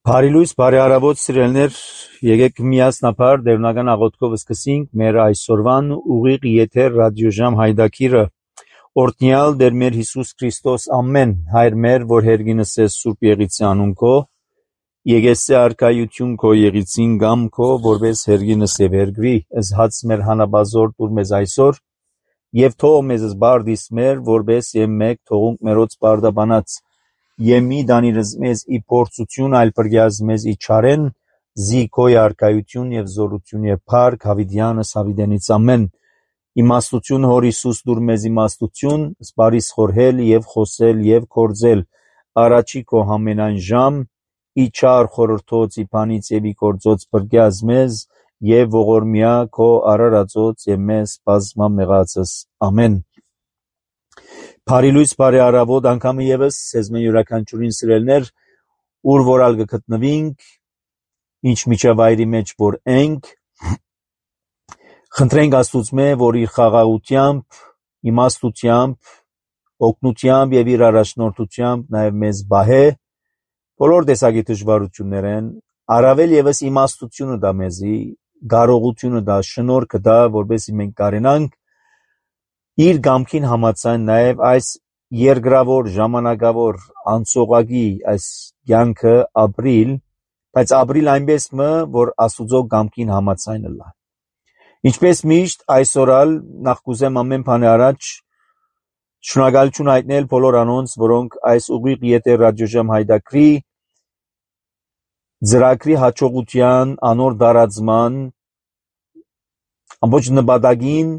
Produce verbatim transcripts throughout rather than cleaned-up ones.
Բարի լույս, բարի առավոտ սիրելիներ, եկեք միասնաբար դերունական աղոթքով սկսենք մեր այսօրվան ուղիղ եթեր ռադիոժամ հայրդակիրը։ Օրհնյալ Տեր մեր Հիսուս Քրիստոս, ամեն Հայր մեր, որ հերգինս ես Սուրբ Եղիցի անուն քո, եկեսե արքայություն քո եղիցին գամ քո, որպես հերգինս եւ հերգվի, ըս հաց մեր հանաբազոր տուր մեզ այսօր, եւ թող մեզ բարդիս մեր, որպես եւ մեկ թողունք մերոց բարդաբանած Եմի դանիրս մեզ ի փորձություն այլ բրգյազ մեզ ի չարեն զի քո արքայություն եւ զորություն եւ փառք հավիդյանս հավիդենից ամեն իմաստություն հոր Հիսուս դուր մեզ իմաստություն սպարիս խորհել եւ խոսել եւ կործել առաջի քո համենայն ժամ ի չար խորհրդոց ի բանից եւ ի կործոց բրգյազ մեզ եւ ողորմյա քո արարածոց եւ մեզ բազմա մեղածս ամեն Բարի լույս, բարի առավոտ, անգամ եւս սեզ մեր յուրաքանչյուրին սիրելներ, ուր որալ գտնվենք, ինչ միջավայրի մեջ որ ենք, խնդրենք Աստծո որ իր խաղաղությամբ, իմաստությամբ, օգնությամբ եւ իր առաջնորդությամբ նաեւ մեզ բահե, բոլոր տեսակի դժվարություններեն, առավել եւս իմաստությունը դա մեզի, կարողությունը դա, շնորհքը դա, որովհետեւ մենք կարենանք իր գամքին համաձայն նաև այս երկրավոր ժամանակավոր անցողագի այս կյանքը ապրիլ, բայց ապրիլ այնպես մը, որ Աստուծո գամքին համաձայն լա։ Ինչպես միշտ այսօրալ նախ կուզեմ ամեն բանի առաջ շնորհակալություն հայտնել բոլոր անոնց, որոնք այս ուղիղ եթեր ռադիոժամ հայրդակրի ծրագրի հաջողության, անոր դարածման ամբողջ նպատակին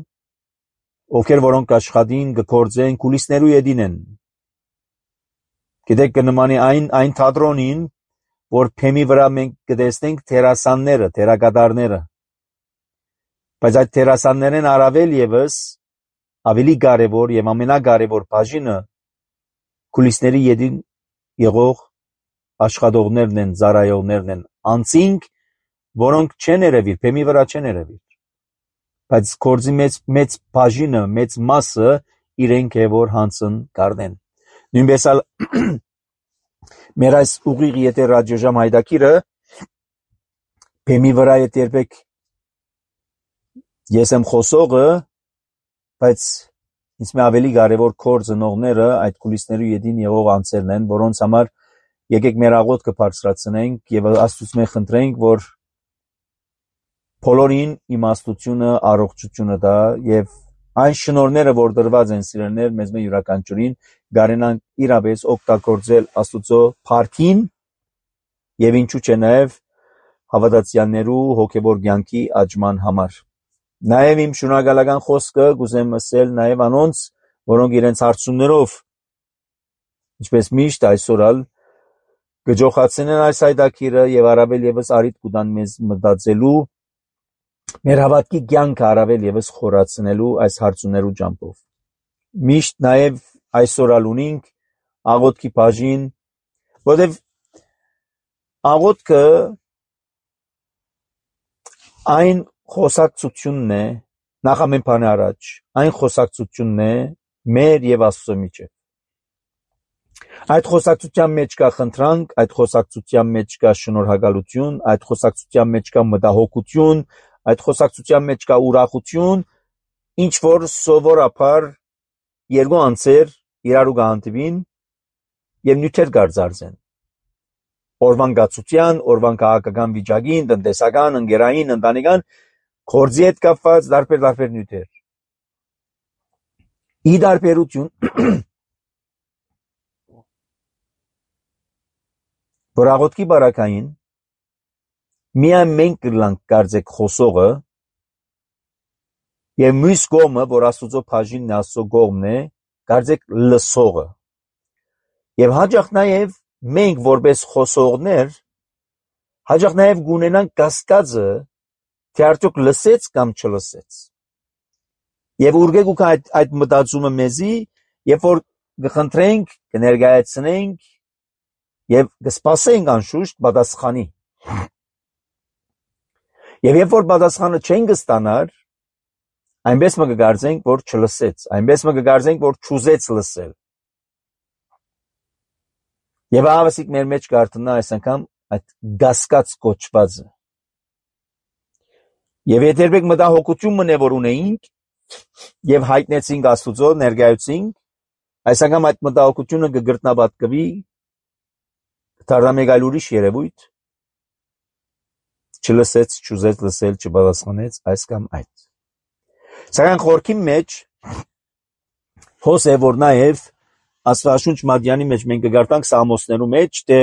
ովքեր որոնք աշխատին գործեն կուլիսներու յետին են գիտեք կնմանի այն այն թատրոնին որ փեմի վրա մենք կտեսնենք տերասանները տերակատարները բայց այդ տերասաններն առավել եւս ավելի կարեւոր եւ ամենակարեւոր բաժինը կուլիսների յետին եղող աշխատողներն են ծառայողներն են անցինք որոնք չեն երևի փեմի վրա չեն երևի բայց կորձի մեծ մեծ բաժինը մեծ մասը իրենք է որ հանցն կառնեն նույնպես ալ մեր այս ուղիղ եթեր ռադիոժամ հայրդակիրը փեմի վրա է երբեք ես եմ խոսողը բայց ինձ մե ավելի կարևոր կորձնողները այդ կուլիսների յետին եղող անձերն են որոնց համար եկեք մեր աղոթքը բարձրացնենք եւ Աստծուց մենք խնդրենք որ բոլորին իմաստությունը, առողջությունը դա եւ այն շնորհները, որ դրված են սիրելներ մեզ մեր յուրաքանչյուրին, գարենան իրապես օգտագործել Աստծո փառքին եւ ինչու՞ չէ նաեւ հավատացյալներու հոգեվոր կյանքի աճման համար։ Նաեւ իմ շնորհակալական խոսքը կուզեմ ասել նաեւ անոնց, որոնք իրենց հարցումներով ինչպես միշտ այսօրալ գջոխացնեն այս հայրդակիրը եւ առավել եւս արիդ կուտան մեզ մտածելու մեր հավատքի կյանքը առավել եւս խորացնելու այս հարցումներու ճամփով։ Միշտ նաեւ այսօրալ ունենք աղոթքի բաժին, որովհետեւ աղոթքը այն խոսակցությունն է, նախ ամեն բանի առաջ, այն խոսակցությունն է մեր եւ Աստծո միջեւ։ Այդ խոսակցության մեջ կա խնդրանք, այդ խոսակցության մեջ կա շնորհակալություն, այդ խոսակցության մեջ կա մտահոգություն, այդ խոսակցության մեջ կա ուրախություն, ինչ որ սովորաբար երկու անձեր իրարու կհանդիպին եւ նյութեր կարձարծեն։ Օրվան գացության, օրվան քաղաքական վիճակին, տնտեսական, ընկերային, ընտանեկան, գործի հետ կապված տարբեր-տարբեր նյութեր։ Ի տարբերություն որ աղոթքի բարակային միայն մենք կլանք կարծեք խոսողը եւ մյուս կողմը որ Աստծո բաժինն է Աստծո կողմն է կարծեք լսողը եւ հաջող նաեւ մենք որպես խոսողներ հաջող նաեւ գունենանք կասկածը թե արդյոք լսեց կամ չլսեց եւ ուրգեք ու այդ այդ մտածումը մեզի երբ որ կխնդրենք կներկայացնենք եւ կսպասենք անշուշտ պատասխանի եւ երբ որ պատասխանը չենք ստանար այնպես մը կգարձենք որ չլսեց այնպես մը կգարձենք որ չուզեց լսել Եվ ավասիկ մեր մեջ կարտնա այս անգամ այդ գասկած կոչվածը։ Եվ երբեք մտահոգություն մնե որ ունեինք եւ հայտնեցինք Աստուծո ներկայացինք, այս անգամ այդ մտահոգությունը կգրտնաբատկվի դառնա մեկ այլ ուրիշ երևույթ, չլսեց, չուզեց լսել, չպատասխանեց այս կամ այդ։ Սակայն խորքի մեջ հոս է որ նաեւ Աստվածաշունչ Մատյանի մեջ մենք կգարտանք Սամոսներու մեջ, թե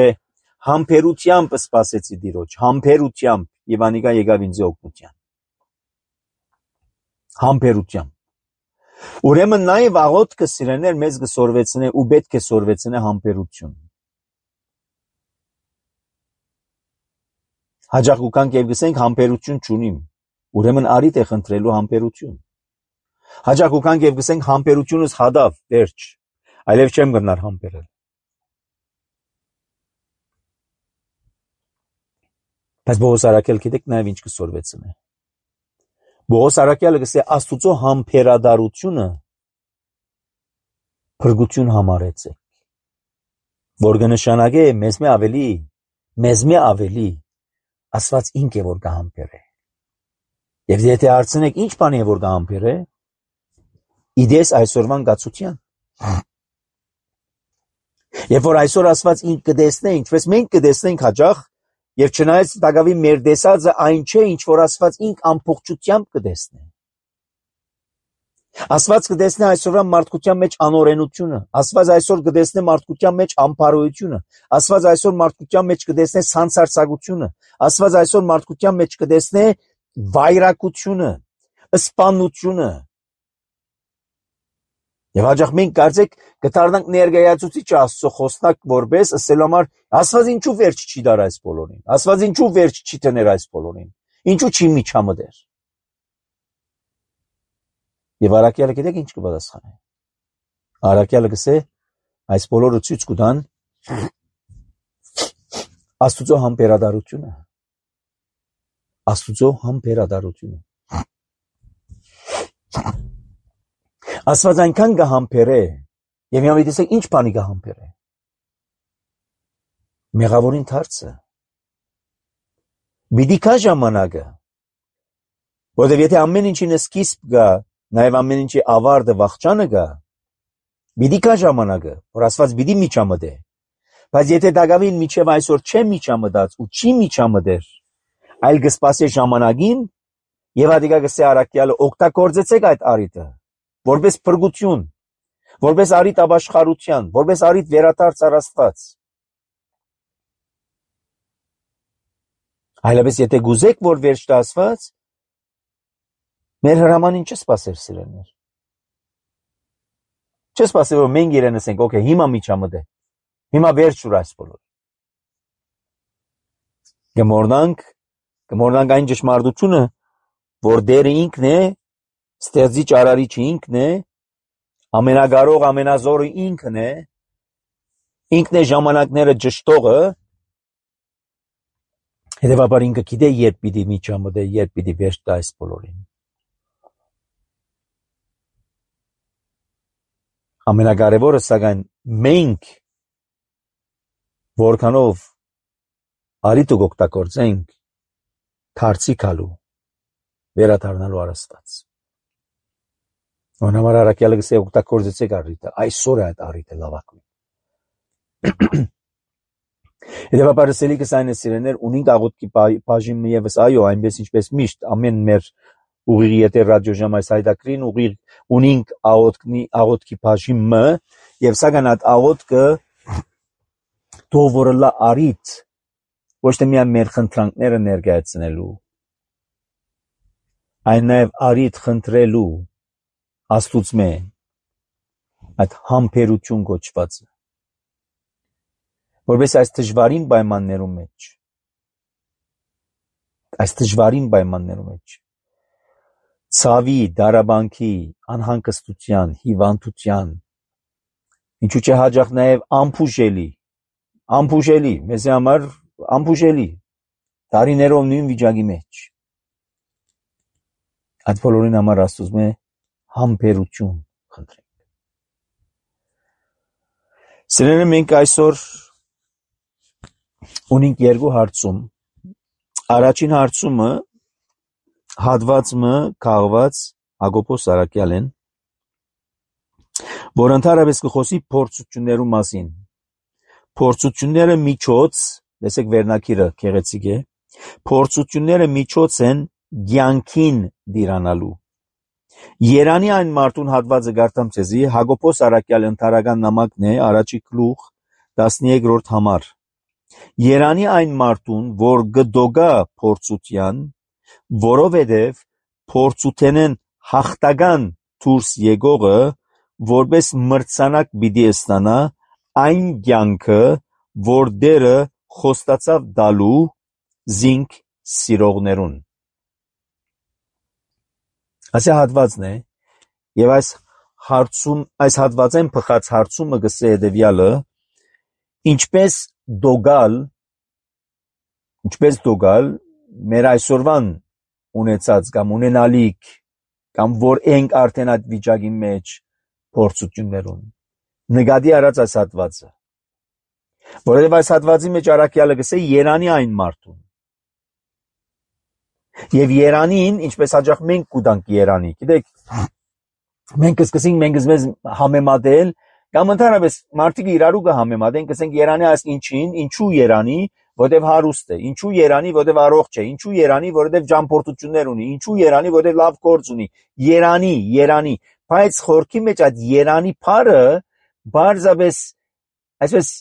համբերությամբ սպասեցի Տիրոջ, համբերությամբ եւ անիկա եկավ ինձ օգնության։ Համբերությամբ։ Ուրեմն նաեւ աղոթքը սիրելիներ մեզ կսորվեցնե ու պետք է սորվեցնե համբերություն։ Հաջող ուկանք եւ գսենք համբերություն չունիմ, ուրեմն արիտ է խնդրելու համբերություն։ Հաջող ուկանք եւ գսենք համբերությունս հադավ, վերջ, այլև չեմ գնար համբերել։ Բայց Բողոս Արաքել գիտեք նաև ինչ կսորվեցնե։ Բողոս Արաքյալը գսե Աստուծո համբերադարությունը փրկություն համարեցեք, որ կնշանակե մեզ մե ավելի, մեզ մե ավելի Աստված ինք է որ կհամբերե։ Եվ եթե հարցնեք ինչ բան է որ կհամբերե, իդես այսօրվան գացության։ Երբ որ այսօր Աստված ինք կտեսնե, ինչպես մենք կտեսնենք հաջող, եւ չնայած դակավի մեր տեսածը այն չէ, ինչ որ Աստված ինք ամբողջությամբ կտեսնե։ Աստված կտեսնե այսօրվա մարդկության մեջ անօրենությունը, Աստված այսօր կտեսնե մարդկության մեջ անփարոյությունը, Աստված այսօր մարդկության մեջ կտեսնե սանցարցակությունը, Աստված այսօր մարդկության մեջ կտեսնե վայրակությունը, սպանությունը։ Եվ հաջող մենք կարծեք կդառնանք ներկայացուցիչ Աստծո խոսնակ որպես ասելու համար Աստված ինչու վերջ չի դար այս բոլորին, Աստված ինչու վերջ չի տներ այս բոլորին, ինչու չի միջամտեր։ Եվ Արաքյալը գիտեք ինչ կպատասխանե։ Արաքյալը գսե այս բոլորը ցույց կտան Աստուծո համբերադարությունը։ Աստուծո համբերադարությունը։ Աստված այնքան կհամբերե, եւ հիմա դիտեք ինչ բանի կհամբերե։ Մեղավորին դարձը։ Բիդի կա ժամանակը, որովհետեւ եթե ամեն ինչին սկիզբ կա, նաեւ ամեն ինչի ավարտը վախճանը կա, բիդի կա ժամանակը, որ Աստված բիդի միջամտե։ Բայց եթե դակավին միջև այսօր չէ միջամտած ու չի միջամտեր, այլ կսպասե ժամանակին, եւ ադիգա գսե Արաքյալը օգտագործեցեք այդ արիտը, որպես փրկություն, որպես արիտ ապաշխարության, որպես արիտ վերադարձ առ Աստված։ Այլապես եթե գուզեք, որ վերջ տա Աստված, մեր հրամանին չսպասեր սիրելիներ։ Չսպասեր, որ մենք իրեն ասենք, օքեյ, հիմա միջամտե, հիմա վերջ ուր այս բոլոր։ Գմորնանք, գմորնանք այն ճշմարտությունը, որ Տերը ինքն է, ստեղծիչ արարիչը ինքն է, ամենակարող ամենազորը ինքն է, ինքն է ժամանակները ճշտողը, հետևաբար ինքը գիտե երբ պիտի միջամտե, երբ պիտի վերջ տա այս բոլորին։ Ամենակարևորը սակայն մենք որքանով արիտը օգտագործենք դարձի գալու վերադառնալու առ Աստված։ Անհամար Արաքյալը գսե օգտագործեցեք արիտը, այսօր է այդ արիտը լավակույն։ Հետևաբար սելիկս այն է սիրելիներ, ունենք աղոթքի բաժինը եւս այո, այնպես ինչպես միշտ ամեն մեր ուղիղ եթե ռադիոժամ այս հայտակրին ուղիղ ունենք աղոթքի աղոթքի բաժինը եւ սակայն այդ աղոթքը դովորլա արիտ ոչ թե միայն մեր խնդրանքները ներկայացնելու, այլ նաեւ արիտ խնդրելու Աստուծմե այդ համբերություն կոչվածը, որպես այս դժվարին պայմաններում մեջ, այս դժվարին պայմաններում մեջ, ցավի, դարաբանքի, անհանգստության, հիվանդության, ինչու՞ չէ հաջող նաև անփուժելի, անփուժելի, մեզ համար անփուժելի, տարիներով նույն վիճակի մեջ, այդ բոլորին համար Աստծո համբերություն խնդրենք։ Սիրելիներ, մենք այսօր ունենք երկու հարցում։ Առաջին հարցումը հատվածը քաղված Հակոբոս Արաքյալեն, որ ընդհանրապես կխոսի փորձություններու մասին։ Փորձությունները միջոց, տեսեք վերնակիրը գեղեցիկ է, փորձությունները միջոց են կյանքին դիրանալու։ Երանի այն մարդուն հատվածը գարտամ ցեզի Հակոբոս Արաքյալ ընթարական նամակն է, առաջի գլուխ տասներկրորդ համար։ Երանի այն մարդուն, որ գդոգա փորձության, որովհետև փորձութենեն հաղթական դուրս եկողը որպես մրցանակ պիտի ստանա այն կյանքը, որ Տերը խոստացավ տալու զինք սիրողներուն։ Այս հատվածն է, եւ այս հարցում, այս հատվածեն փխած հարցումը գսե հետեւյալը. ինչպես դոգալ, ինչպես դոգալ մեր այսօրվան ունեցած կամ ունենալիք կամ որ ենք արդեն այդ վիճակի մեջ փորձություններուն։ Նկատի առած այս հատվածը, որովհետև այս հատվածի մեջ Արաքյալը գսե երանի այն մարդուն։ Եվ երանին, ինչպես հաճախ մենք կուտանք երանի, գիտեք, մենք կսկսենք մենք մեզ համեմատել, կամ ընդհանրապես մարդիկ իրարու կհամեմատեն, կսենք երանի այս ինչին, ինչու երանի, որտեվ հարուստ է, ինչու երանի, որտեվ առողջ է, ինչու երանի, որտեվ ճամփորդություններ ունի, ինչու երանի, որտեվ լավ գործ ունի, երանի, երանի, բայց խորքի մեջ այդ երանի բառը բարձրապես այսպես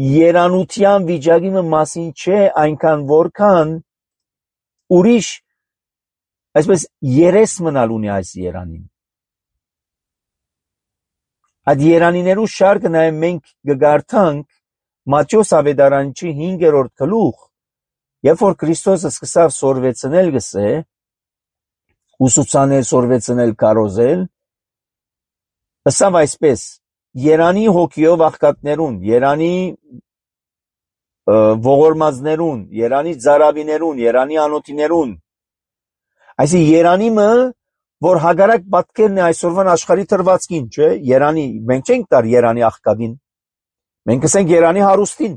երանության վիճակի մասին չէ, այնքան որքան ուրիշ այսպես երես մնալ ունի այս երանին։ Այդ երանիներու շարքը նաև մենք կգարտանք Մատթեոս ավետարանչի հինգերորդ գլուխ, երբ որ Քրիստոսը սկսավ սորվեցնել գսե, ուսուցանել, սորվեցնել, կարոզել, ըսավ այսպես. երանի հոգիով աղքատներուն, երանի ողորմածներուն, երանի ծարավիներուն, երանի անոթիներուն։ Այսինքն երանիմը, որ հագարակ պատկերն է այսօրվան աշխարհի թրվածքին, չէ, երանի, մենք չենք տար երանի աղքատին, մենք կսենք երանի հարուստին,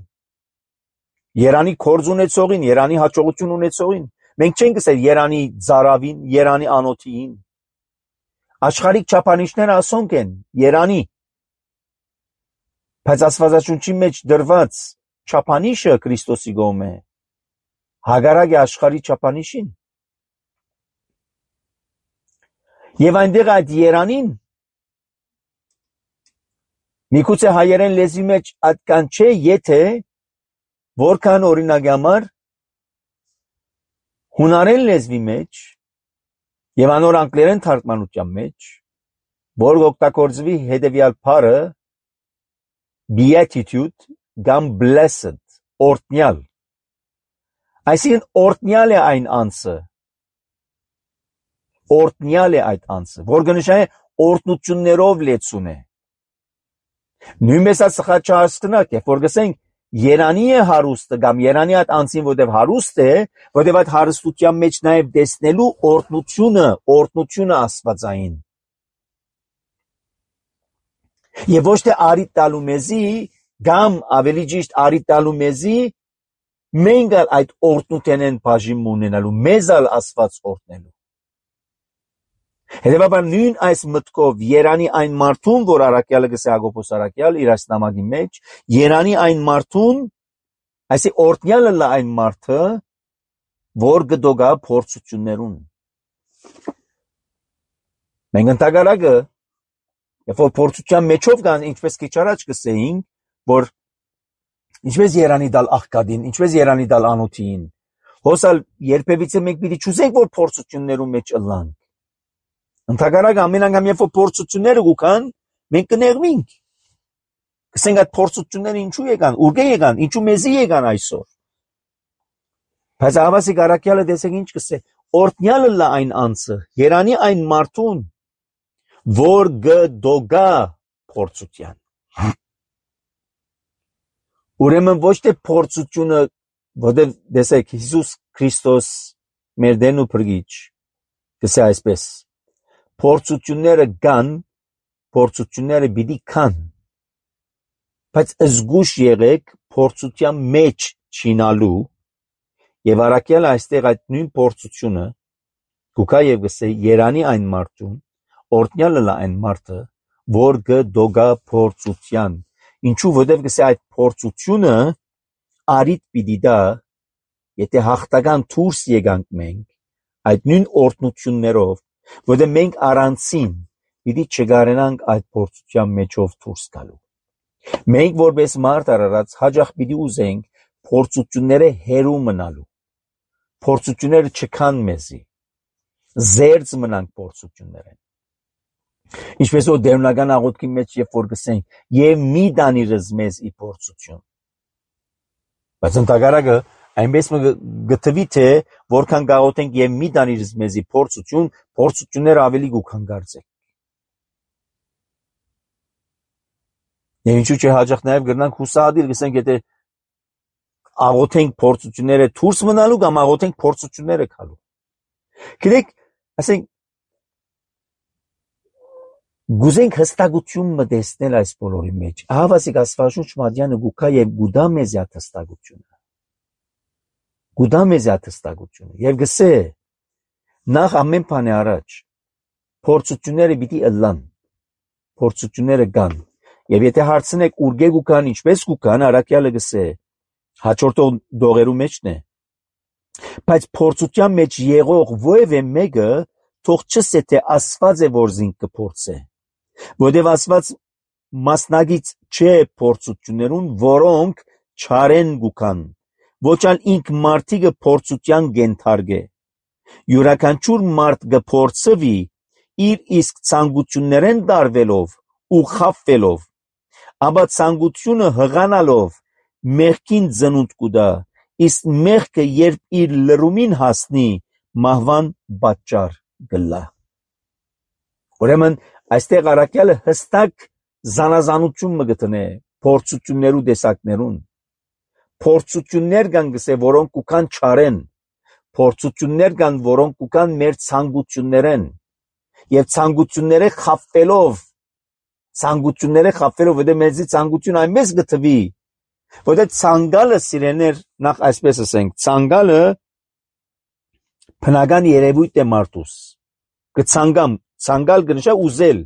երանի կորձ ունեցողին, երանի հաջողություն ունեցողին, մենք չենք կսել երանի ծարավին, երանի անոթին։ Աշխարհիկ չափանիշները ասոնք են, երանի, բայց Աստվածաշունչի մեջ դրված չափանիշը Քրիստոսի կողմէ հագարակ է աշխարհի չափանիշին։ Եվ այնտեղ այդ երանին միգուցե հայերեն լեզվի մեջ այդքան չէ, եթե որքան օրինակի համար հունարեն լեզվի մեջ եւ անոր անգլերեն թարգմանության մեջ, որ օգտագործվի հետեւյալ բառը beatitude կամ blessed, օրհնյալ։ Այսինքն օրհնյալ է այն անձը, օրհնյալ է այդ անձը, որ կնշանակի օրհնություններով լեցուն է։ Նույնպես այս սխաչահասկնակ է, որ գսենք երանի է հարուստը կամ երանի այդ անձին, որտեղ հարուստ է, որտեղ այդ հարստության մեջ նաև տեսնելու օրհնությունը, օրհնությունը աստվածային։ Եվ ոչ թե արի տալու մեզի, կամ ավելի ճիշտ արի տալու մեզի, մենք այդ օրհնութենեն բաժին ունենալու, մեզ ալ Աստված օրհնելու։ Հետևաբար նույն այս մտքով երանի այն մարդուն, որ Արաքյալը գսե Հակոբոս Արաքյալ իր այս նամակի մեջ, երանի այն մարդուն, այսի օրհնյալը լա այն մարդը, որ գդոգա փորձություններուն։ Մենք ընդհանրակը, երբ որ փորձության մեջով կան, ինչպես քիչ առաջ գսեինք, որ ինչպես երանի դալ աղքատին, ինչպես երանի դալ անոթին, հոսալ երբևիցե մենք պիտի չուզենք, որ փորձություններու մեջ ըլլանք։ Ընդհանրակը ամեն անգամ երբ որ փորձությունները գուքան, մենք կներվինք։ Կսենք այդ փորձությունները ինչու եկան, ուր եկան, ինչու մեզի եկան այսօր։ Բայց Աղավասիկ Արաքյալը տեսեք ինչ կսե, օրհնյալը լա այն անձը, երանի այն մարդուն, որ գդոգա փորձության։ Ուրեմն ոչ թե փորձությունը, որտեղ տեսեք Հիսուս Քրիստոս մեր Տերն ու Փրկիչ, կսե այսպես. փորձությունները կան, փորձությունները պիտի կան, բայց զգուշ եղեք փորձության մեջ չինալու եւ առաքյալ այստեղ այդ նույն փորձությունը գուկա եւ գսե Երանի այն մարդուն օրտնյալը լա այն մարդը որ գդոգա փորձության ինչու որտեւ գսե այդ փորձությունը արիտ պիտի դա եթե հաղթական դուրս եկանք մենք այդ նույն օրտնություններով որտեղ մենք առանցին պիտի չգարենանք այդ փորձության մեջով դուրս գալու մենք որպես մարդ արարած հաջող պիտի ուզենք փորձությունները հերու մնալու փորձությունները չքան մեզի զերծ մնանք փորձություններեն ինչպես որ դերնական աղոթքի մեջ երբ որ գսենք եւ մի դանիրս մեզ ի փորձություն բայց ընդհանրակը այնպես գտվի թե որքան գաղութենք եւ մի դանիրս մեզի փորձություն փորձությունները ավելի գուքան գարձեք եւ ինչու՞ չէ հաջող նաեւ գրնանք հուսադիր գսենք եթե աղոթենք փորձությունները դուրս մնալու կամ աղոթենք փորձությունները գալու գիտեք ասենք գուզենք հստակություն մտածնել այս բոլորի մեջ ահավասիկ աստվածաշունչ մատյանը գուքա եւ գուդա մեզ այդ հստակությունը գուդա մեզ այդ հստակությունը եւ գսե նախ ամեն բանի առաջ փորձությունները պիտի ըլլան փորձությունները կան եւ եթե հարցնեք ուրգե գուքան ինչպես գուքան առաքյալը գսե հաջորդող դողերու մեջն է բայց փորձության մեջ եղող ովևէ մեկը թող չսե թե աստված է որ զինք կփորձե որտեւ աստված մասնագից չէ փորձություններուն որոնք չարեն գուքան ոչ ալ ինք մարդիկը փորձության գենթարգե յուրաքանչյուր մարդ կփորձվի իր իսկ ցանկություններեն դարվելով ու խափվելով ապա ցանկությունը հղանալով մեղքին ծնունդ կուտա իսկ մեղքը երբ իր լրումին հասնի մահվան պատճառ գլա ուրեմն այստեղ առաքյալը հստակ զանազանություն մգտնե փորձություններու տեսակներուն փորձություններ կան գսե որոնք կուքան չարեն փորձություններ կան որոնք կուքան մեր ցանկություններեն եւ ցանկությունները խափվելով ցանկությունները խափվելով որտեղ մեզի ցանկություն այնպես գտվի որտեղ ցանկալը սիրեներ նախ այսպես ասենք ցանկալը բնական երևույթ է մարդուս կցանգամ ցանկալ կնշա ուզել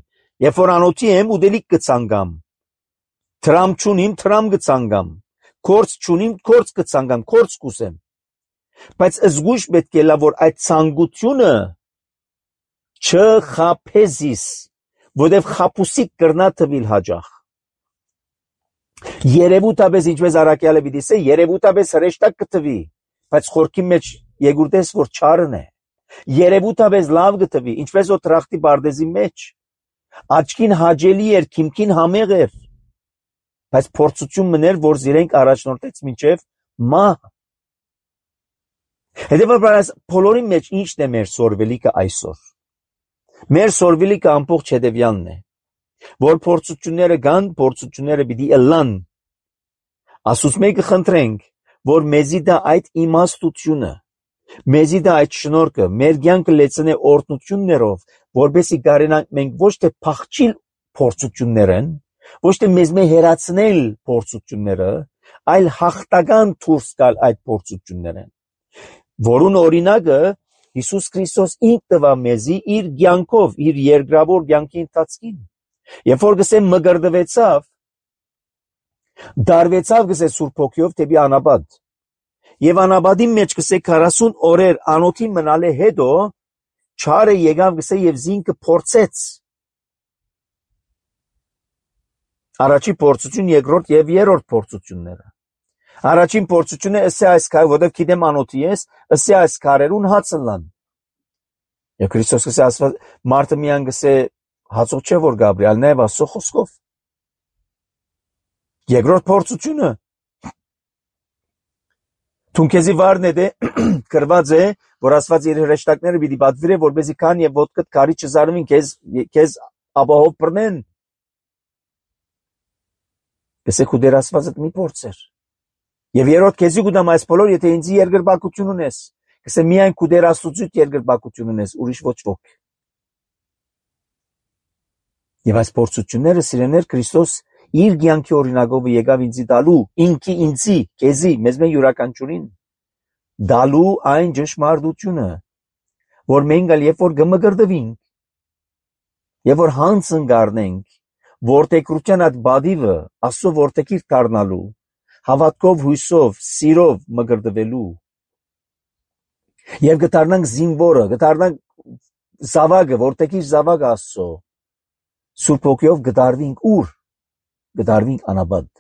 երբ որ անոթի եմ ուդելիք կցանգամ թրամ չունիմ թրամ կցանգամ կորց չունիմ կորց կցանգամ կորց կուսեմ բայց զգույշ պետք է լա որ այդ ցանկությունը չխափեզիս որտեղ խափուսիկ կրնա թվիլ հաջող երևութաբես ինչպես առաքյալը պիտի ասե երևութաբես հրեշտակ կթվի բայց խորքի մեջ եգուրտես որ չարն է երևութաբես լավ կթվի ինչպես որ տրախտի բարդեզի մեջ աչքին հաջելի էր քիմքին համեղ էր բայց փորձություն մներ որ զիրենք առաջնորդեց մինչև մահ հետևաբար բոլորի մեջ ինչն է մեր սորվելիքը այսօր մեր սորվելիքը ամբողջ հետևյալն է որ փորձությունները կան փորձությունները պիտի ըլլան ասուց մեկը խնդրենք որ մեզի դա այդ իմաստությունը մեզի դա այդ շնորհքը մեր կյանքը լեցնե օրհնություններով որբեսի կարենանք մենք ոչ թե փախչիլ փորձություններն ոչ թե մեզ մե հերացնել փորձությունները այլ հաղթական դուրս գալ այդ փորձություններն որուն օրինակը Հիսուս Քրիստոս ինք տվա մեզի իր կյանքով իր երկրավոր կյանքի ընթացքին երբ որ գսեմ մգրդվեցավ դարվեցավ գսե Սուրբ Հոգիով դեպի անապատ եւ անապատի մեջ գսե քառասուն օրեր անոթի մնալը հետո չարը եկավ գսե եւ զինքը փորձեց առաջի փորձություն երկրորդ եւ երրորդ փորձությունները առաջին փորձությունը ըսե այս քայլ որտեղ գիտեմ անոթի ես ըսե այս քարերուն հացնլան եւ Քրիստոս գսե ասված մարդը միան գսե հացող չէ որ Գաբրիել նայ վասո խոսքով երկրորդ փորձությունը Թունքեզի վարն է դե կրված է որ ասված իր հրեշտակները պիտի պատվիրե որպեսզի քան եւ ոտքդ քարի չզարմին քեզ քեզ ապահով բռնեն գսե քու դեր ասվածդ մի փորձեր եւ երրորդ քեզի գուտամ այս բոլոր եթե ինձ երկրպագություն ունես գսե միայն քու դեր աստուծույթ երկրպագություն ունես ուրիշ ոչ ոք եւ այս փորձությունները սիրեներ Քրիստոս իր կյանքի օրինակով եկավ ինձի տալու, ինքի ինձի, քեզի, մեզ մեն յուրաքանչյուրին դալու այն ճշմարտությունը, որ մենք ալ երբ որ կմկրտվենք, եւ որ հանց ընկառնենք, որդեգրության այդ բադիվը Աստծո որդեգիր դառնալու, հավատքով, հույսով, սիրով մկրտվելու, եւ կդառնանք զինվորը, կդառնանք զավակը, որդեգիր զավակը Աստծո, Սուրբ Հոգիով կդառվենք ուր, կդառվենք անաբադ,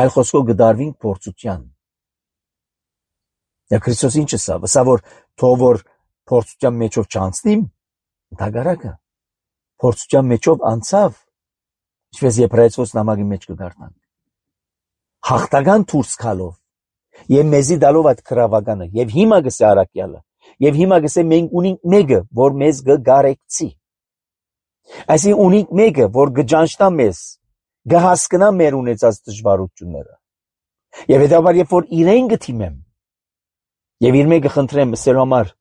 այլ խոսքով կդառվենք փորձության։ Եվ Քրիստոս ինչ ասա, ասա որ թող որ փորձության մեջով չանցնիմ, դագարակը փորձության մեջով անցավ, ինչպես Եբրայեցիոս նամակի մեջ կդառնանք, հաղթական դուրս գալով, եւ մեզի դալով այդ քրավականը, եւ հիմա գսե արաքյալը, եւ հիմա գսե մենք ունենք մեկը, որ մեզ կգարեկցի, այսինքն ունենք մեկը, որ կճանչնա մեզ, կհասկնա մեր ունեցած դժվարությունները, եւ հետաբար երբ որ իրեն կթիմեմ, եւ իր մեկը խնդրեմ ասելու համար,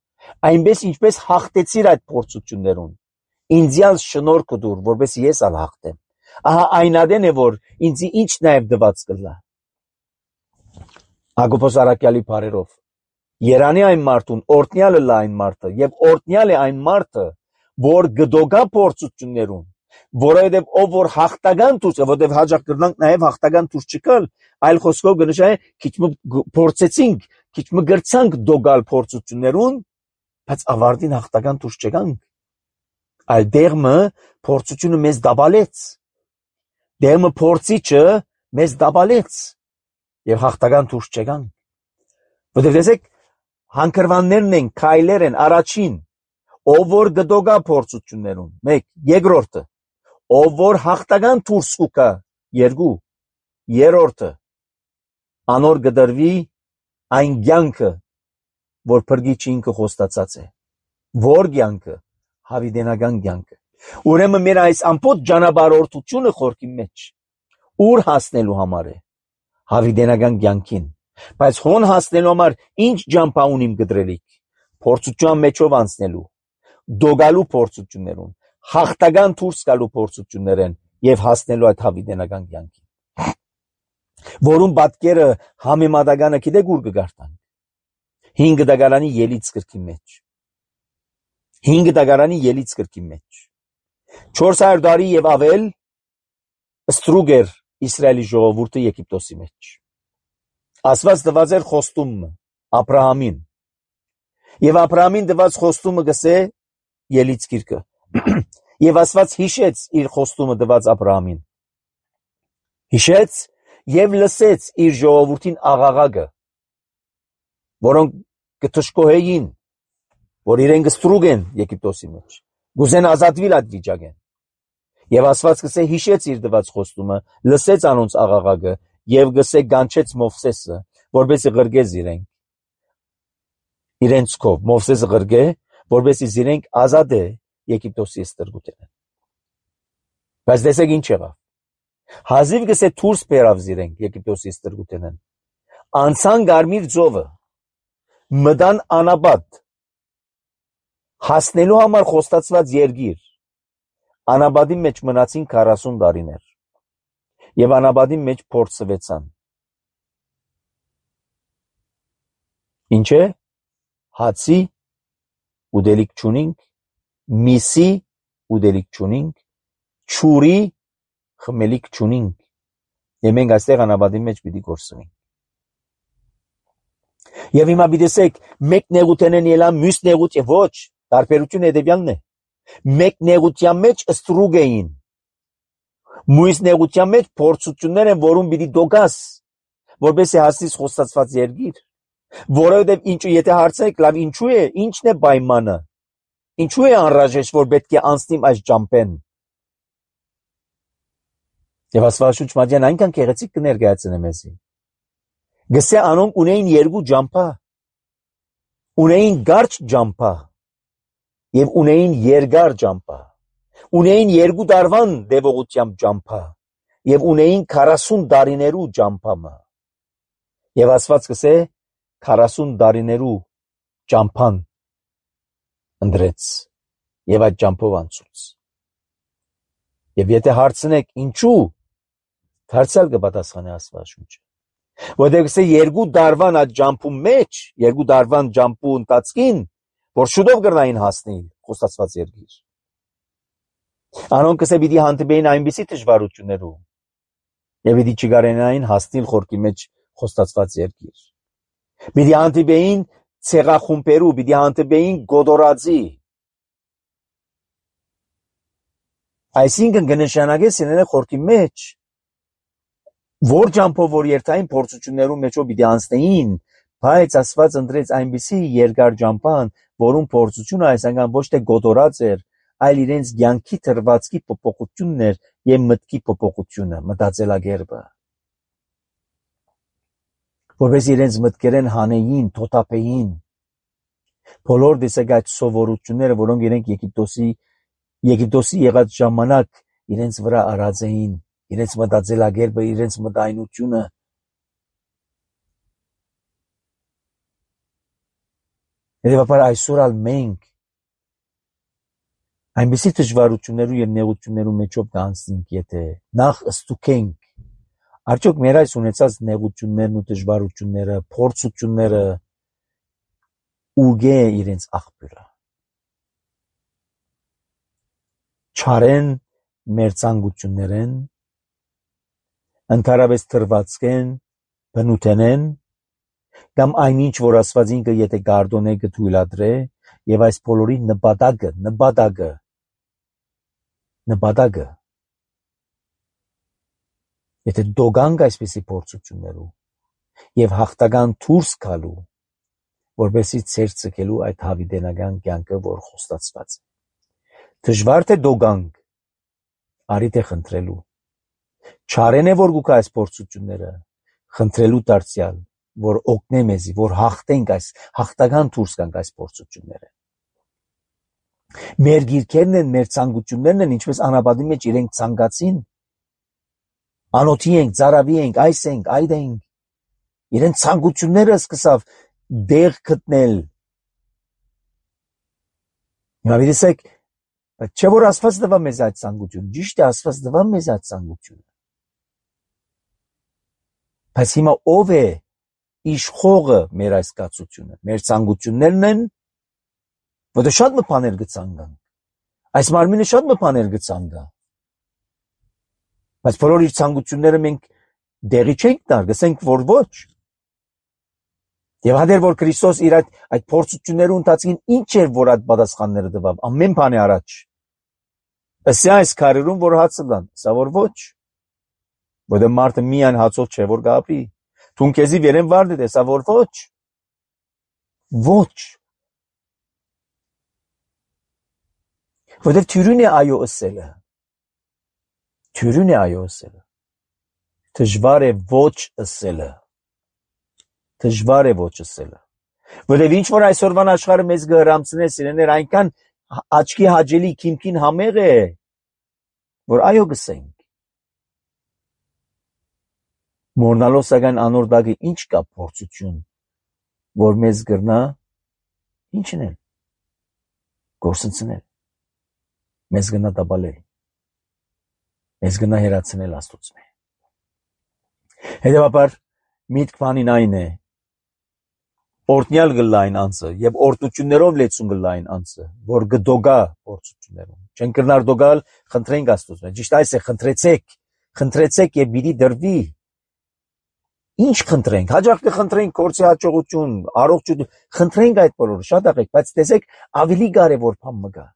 այնպես ինչպես հաղթեցիր այդ փորձություններուն, ինձյալ շնորհքը դուր, որպես ես ալ հաղթեմ, ահա այնադեն է, որ ինձի ինչ նաեւ դված կլա։ Հակոբոս արաքյալի բարերով, երանի այն մարդուն, օրտնյալը լա այն մարդը, եւ օրտնյալ է այն մարդը, որ գդոգա փորձություններուն, որովհետև ով որ հաղթական դուրս, որովհետև հաջող կրնանք նաև հաղթական դուրս չկալ, այլ խոսքով կնշանակի քիչ մը փորձեցինք, քիչ մը գրցանք դոգալ փորձություններուն, բայց ավարտին հաղթական դուրս չգանք, այլ դերմը փորձությունը մեզ դաբալեց, դերմը փորձիչը մեզ դաբալեց եւ հաղթական դուրս չգանք, որովհետև տեսեք հանգրվաններն են, քայլեր են, առաջին ով որ գդոգա փորձություններուն, մեկ, երկրորդը, ով որ հաղթական դուրս կա, երկու, երրորդը, անոր գդրվի այն կյանքը, որ փրկիչը ինքը խոստացած է, որ կյանքը, հավիտենական կյանքը, ուրեմն մեր այս ամբողջ ճանապարհորդությունը խորքի մեջ, ուր հասնելու համար է, հավիտենական կյանքին, բայց հոն հասնելու համար ինչ ճամփա ունիմ գդրելիք, փորձության մեջով անցնելու, դոգալու փորձություններուն, հաղթական դուրս գալու փորձություններեն եւ հասնելու այդ հավիտենական կյանքին, որում պատկերը համեմատականը գիտեք ուր կգարտան, հինգ դագարանի ելից գրքի մեջ, հինգ դագարանի ելից գրքի մեջ, չորս հարյուր տարի եւ ավել ստրուգ էր Իսրայելի ժողովուրդը Եգիպտոսի մեջ, Աստված տված էր խոստումը Աբրահամին, եւ Աբրահամին տված խոստումը գսե ելից գիրքը, եւ Աստված հիշեց իր խոստումը տված Աբրահամին, հիշեց եւ լսեց իր ժողովրդին աղաղակը, որոնք կթշկոհեին, որ իրեն կստրուգեն Եգիպտոսի մեջ, գուզեն ազատվիլ այդ վիճակեն, եւ Աստված գսե հիշեց իր տված խոստումը, լսեց անոնց աղաղակը եւ գսե գանչեց Մովսեսը, որպեսզի ղրգեց իրենք, իրենց կով, Մովսեսը ղրգե, որպեսզի իրենք ազատե Եգիպտոսի ստրգութենեն, բայց տեսեք ինչ եղավ, հազիվ գսե դուրս բերավ իրենք Եգիպտոսի ստրգութենեն, անցան Կարմիր ծովը, մտան անաբադ, հասնելու համար խոստացված երկիր, անաբադի մեջ մնացին քառասուն տարիներ, եւ անաբադի մեջ փորձվեցան, ինչ է, հացի ուդելիք չունինք, միսի ուդելիք չունինք, չուրի խմելիք չունինք, եւ մենք այստեղ անաբադի մեջ պիտի գործվենք, եւ հիմա պիտեսեք, մեկ նեղութենեն ելա, մյուս նեղութ եւ ոչ, տարբերություն հետեւյալն է, մեկ նեղության մեջ ստրուգ էին, մյուս նեղության մեջ փորձություններ են, որում պիտի դոգաս, որպեսզի հասնես խոստացված երկիր, որովհետև ինչու եթե հարցնեք, լավ ինչու է, ինչն է պայմանը, ինչու է անհրաժեշտ, որ պետք է անցնիմ այս ճամփեն, եւ Աստվածաշունչ մատյան այնքան գեղեցիկ կներկայացնե մեզի, գսե անոնք ունեին երկու ճամփա, ունեին կարճ ճամփա, եւ ունեին երկար ճամփա, ունեին երկու տարվան դեպողությամբ ճամփա, եւ ունեին քառասուն տարիներու ճամփամը, եւ Աստված գսե քառասուն տարիներու ճամփան ընդրեց, եւ այդ ճամփով անցուց, Եվ եթե հարցնեք ինչու, դարձյալ կպատասխանի Աստվածաշունչը։ Որտեղ կսե երկու դարվան այդ ջամփու մեջ, երկու դարվան ջամփու ընթացքին, որ շուտով կրնային հասնել խոստացված երկիր։ Անոնք կսե պիտի հանդիպեին այնպիսի դժվարություններով, եւ պիտի չկարենային հասնել խորքի մեջ խոստացված երկիր։ Պիտի հանդիպեին ցեղախումբերու, պիտի հանդիպեին գոդորածի։ Այսինքն կնշանակե սենենը խորքի մեջ, որ ջամփով որ երթային փորձություններու մեջով պիտի անցնեին, բայց Աստված ընտրեց այնպիսի երկար ջամփան, որում փորձությունը այսինքն ոչ թե գոդորած էր, այլ իրենց ցանկի թրվածքի փոփոխությունն էր եւ մտքի փոփոխությունը, մտածելակերպը։ Որպես իրենց մտքերեն հանեին, թոթափեին, բոլոր դեսագած սովորությունները, որոնք իրենք Եգիպտոսի Եգիպտոսի եղած ժամանակ իրենց վրա արած էին, իրենց մտածելակերպը, իրենց մտայնությունը։ Հետևաբար այսօր ալ մենք այնպիսի դժվարություններու եւ նեղություններու մեջով կանցնենք, եթե նախ ստուգենք, արդյոք մեր այս ունեցած նեղություններն ու դժվարությունները, փորձությունները ուղե իրենց աղբյուրը։ Չարեն մեր ցանկություններեն, ընդհանրապես թրվածքեն, բնութենեն, կամ այնինչ, որ Աստված ինքը եթե գարդոնե կթույլատրե, եւ այս բոլորի նպատակը, նպատակը, նպատակը, եթե դոգանք այսպիսի փորձություններու եւ հաղթական դուրս գալու, որպեսզի ցեր ցկելու այդ հավիտենական կյանքը, որ խոստացված է։ Դժվար թե դոգանք, արի թե խնդրելու։ Չարեն է որ գուք այս փորձությունները, խնդրելու դարձյալ, որ օգնե մեզի, որ հաղթենք այս, հաղթական դուրս գանք այս փորձությունները։ Մեր գիրքերն են, մեր ցանկություններն են, ինչպես անապատի մեջ իրենք ցանկացին, անոթի ենք, ծարավի ենք, այս ենք, այդ ենք, իրենց ցանկությունները սկսավ դեղ գտնել։ Հիմա vidisek, չէ որ Աստված տվա մեզ այդ ցանկությունը, ճիշտ է, Աստված տվա մեզ այդ ցանկությունը։ Բայց հիմա ով է իշխողը մեր այս կացությունը, մեր ցանկություններն են, որտեղ շատ մը բաներ գցանգան։ Այս մարմինը շատ մը բաներ գցանգա։ Բայց բոլոր իր ցանկությունները մենք դեղի չենք տար, գսենք որ ոչ։ Եվ հանդեր որ Քրիստոս իր այդ այդ փորձություններու ընթացքին ինչ էր որ այդ պատասխանները տվավ, ամեն բանի առաջ։ Ըստ այս քարերում որ հացը դան, սա որ ոչ։ Որտեղ մարդը միայն հացով չէ որ գապի։ Թուն քեզի վերեն վարդ է, սա որ ոչ։ Ոչ։ Որտեղ թյուրին է այո ըսելը։ Թյուրին է այո ըսելը։ Դժվար է ոչ ըսելը։ Դժվար է ոչ ըսելը։ Որտեղ ինչ որ այսօրվան աշխարհը մեզ գհրամցնե սիրեներ այնքան աչքի հաճելի քիմքին համեղ է, որ այո գսենք։ Մորնալով սակայն անոր դակը ինչ կա փորձություն, որ մեզ գրնա ինչն է, գործընծնել, մեզ գնա տապալել, մեզ գնա հերացնել Աստծուց մե։ Հետևաբար միտք բանին այն է, օրտնյալ գլային անձը եւ օրտություններով լեցուն գլային անձը, որ գդոգա փորձություններում։ Չեն կրնար դոգալ, խնդրենք Աստծուց մե։ Ճիշտ այս է, խնդրեցեք, խնդրեցեք եւ պիտի դրվի։ Ինչ խնդրենք, հաջող կխնդրենք կորցի հաջողություն, առողջություն, խնդրենք այդ բոլորը, շատ աղեք, բայց տեսեք ավելի կարևոր բան մգա։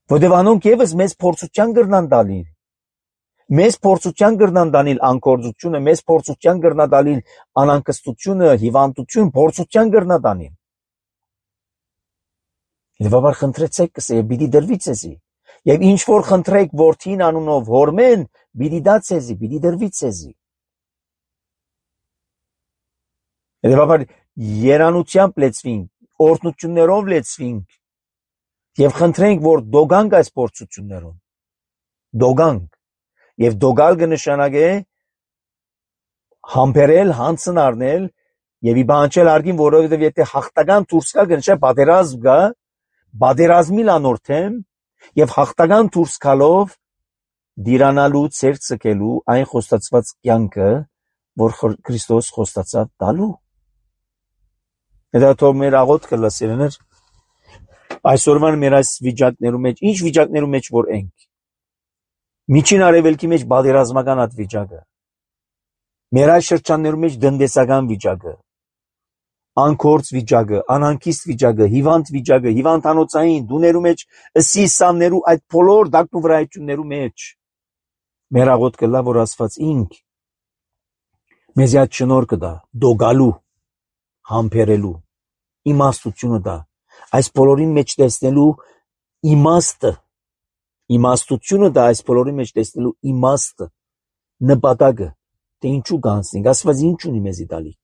Որտեւ անոնք եւս մեզ փորձության կրնան տալի։ Մեզ փորձության կրնան տանիլ անկորձությունը, մեզ փորձության կրնա տալիլ անանկստությունը, հիվանդություն, փորձության կրնա տանիլ։ Եվ խնդրեցեք կսե, պիտի դրվի ցեզի։ Եվ ինչ որ խնդրեք որդին անունով հորմեն, պիտի դա ցեզի, պիտի դրվի ցեզի։ Եվ երանությամբ լեցվինք, օրհնություններով լեցվինք եւ խնդրենք, որ դոգանք այս փորձություններուն։ Դոգանք եւ դոգալ կնշանակե համբերել, հանցն առնել եւ իբանչել արգին, որովհետեւ եթե հաղթական դուրս գա կնշե պատերազմ գա, պատերազմի լանորթեմ եւ հաղթական դուրս գալով դիրանալու ծեր ցկելու այն խոստացված կյանքը, որ Քրիստոս խոստացավ տալու։ Դա թող մեր աղոթքը լսիրներ այսօրվան մեր այս վիճակներում մեջ, ինչ վիճակներում մեջ որ ենք։ Միջին արևելքի մեջ բادرազմական այդ վիճակը։ Մեր այս շրջաններում մեջ դնդեսական վիճակը, անկորձ վիճակը, անհանգիստ վիճակը, հիվանդ վիճակը, հիվանդանոցային դուներու մեջ, ըսի սամներու այդ բոլոր դակտու վրայություններու մեջ։ Մեր աղոթքը լա որ Աստված ինք մեզ այդ շնորհքը դա, դոգալու, համբերելու, իմաստությունը դա, այս բոլորի մեջ տեսնելու իմաստը, իմաստությունը դա այս բոլորի մեջ տեսնելու իմաստը, նպատակը, թե ինչու կանցնենք, Աստված ինչ ունի մեզի տալիք,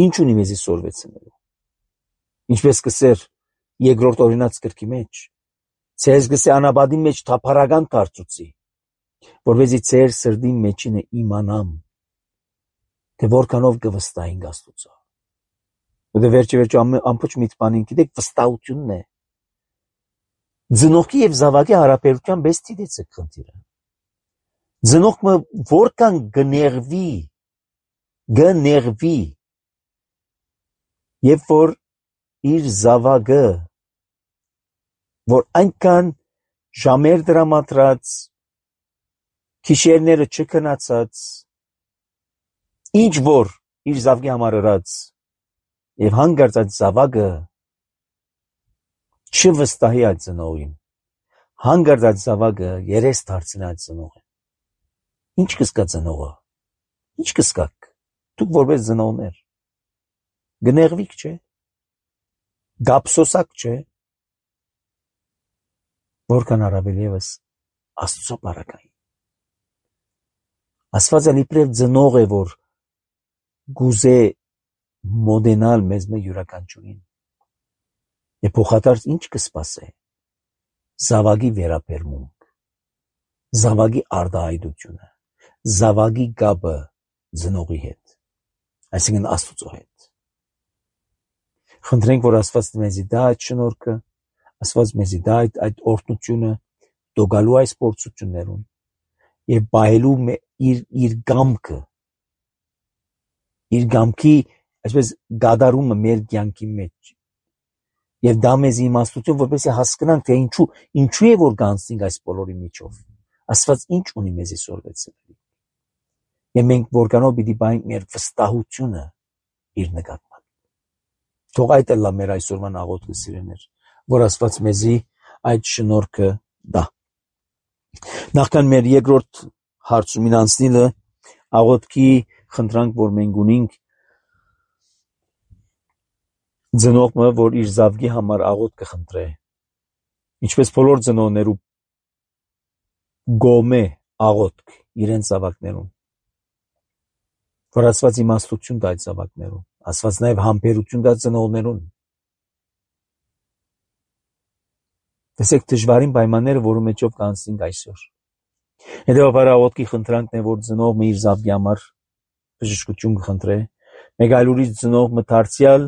ինչ ունի մեզի սորվեցնելու, ինչպես կսեր երկրորդ օրինաց գրքի մեջ, ցեզ գսե անաբադի մեջ թափառական դարձուցի, որովհետեւ ցեր սրդի մեջինը իմանամ, թե որքանով կվստահենք Աստծո։ Ու դե վերջի վերջի ամբողջ միտմանին գիտեք վստահությունն է։ Ձնողքի եւ զավակի հարաբերության բես դիտեցեք խնդիրը։ Ձնողքը որքան գներվի, գներվի, երբ որ իր զավակը, որ այնքան ժամեր դրամատրած, քիշերները չքնացած, ինչ որ իր զավակի համար ըրած, եւ հանգարց այդ զավակը չվստահի այդ ծնողին, հանգարց այդ զավակը երես դարձնի այդ ծնողին։ Ինչ կսկա ծնողը, ինչ կսկաք, դուք որպես ծնողներ, գներվիկ չէ, գապսոսակ չէ, որքան առավել ևս Աստծո բարակային։ Աստվածը իբրև ծնող է, որ գուզե մոդենալ մեզ մե յուրաքանչյուրին։ Եվ փոխադարձ ինչ կսպասե, զավակի վերապերմունք, զավակի արդահայտությունը, զավակի գաբը ծնողի հետ, այսինքն Աստծո հետ։ Խնդրենք, որ Աստված մեզի դա այդ շնորհքը, Աստված մեզի դա այդ, այդ օրհնությունը, դոգալու այս փորձություններուն եւ բայելու իր իր գամքը, իր գամքի այսպես գադարումը մեր կյանքի մեջ եւ դա մեզ իմաստություն, որպեսզի հասկանանք, թե ինչու ինչու է որ գանցնենք այս բոլորի միջով։ Աստված ինչ ունի մեզի սորվեցնել։ Եվ մենք որքանով պիտի բայենք մեր վստահությունը իր նկատմամբ։ Թող այդ էլ լա մեր այսօրվան աղոթքը սիրեներ, որ Աստված մեզի այդ շնորհքը տա։ Նախքան մեր երկրորդ հարցումին անցնելը, աղոթքի խնդրանք, որ մենք ունենք, ծնողը, որ իր զավակի համար աղոթք կխնդրե, ինչպես բոլոր ծնողներու գոմե աղոթք իրենց զավակներուն, որ Աստված իմաստություն տա այդ զավակներուն, Աստված նաև համբերություն տա ծնողներուն։ Տեսեք դժվարին պայմանները, որի մեջով կանցնենք այսօր։ Հետևաբար աղոթքի խնդրանքն է, որ ծնողը իր զավակի համար բժշկություն կխնդրե, մեկ այլ ուրիշ ծնողը դարձյալ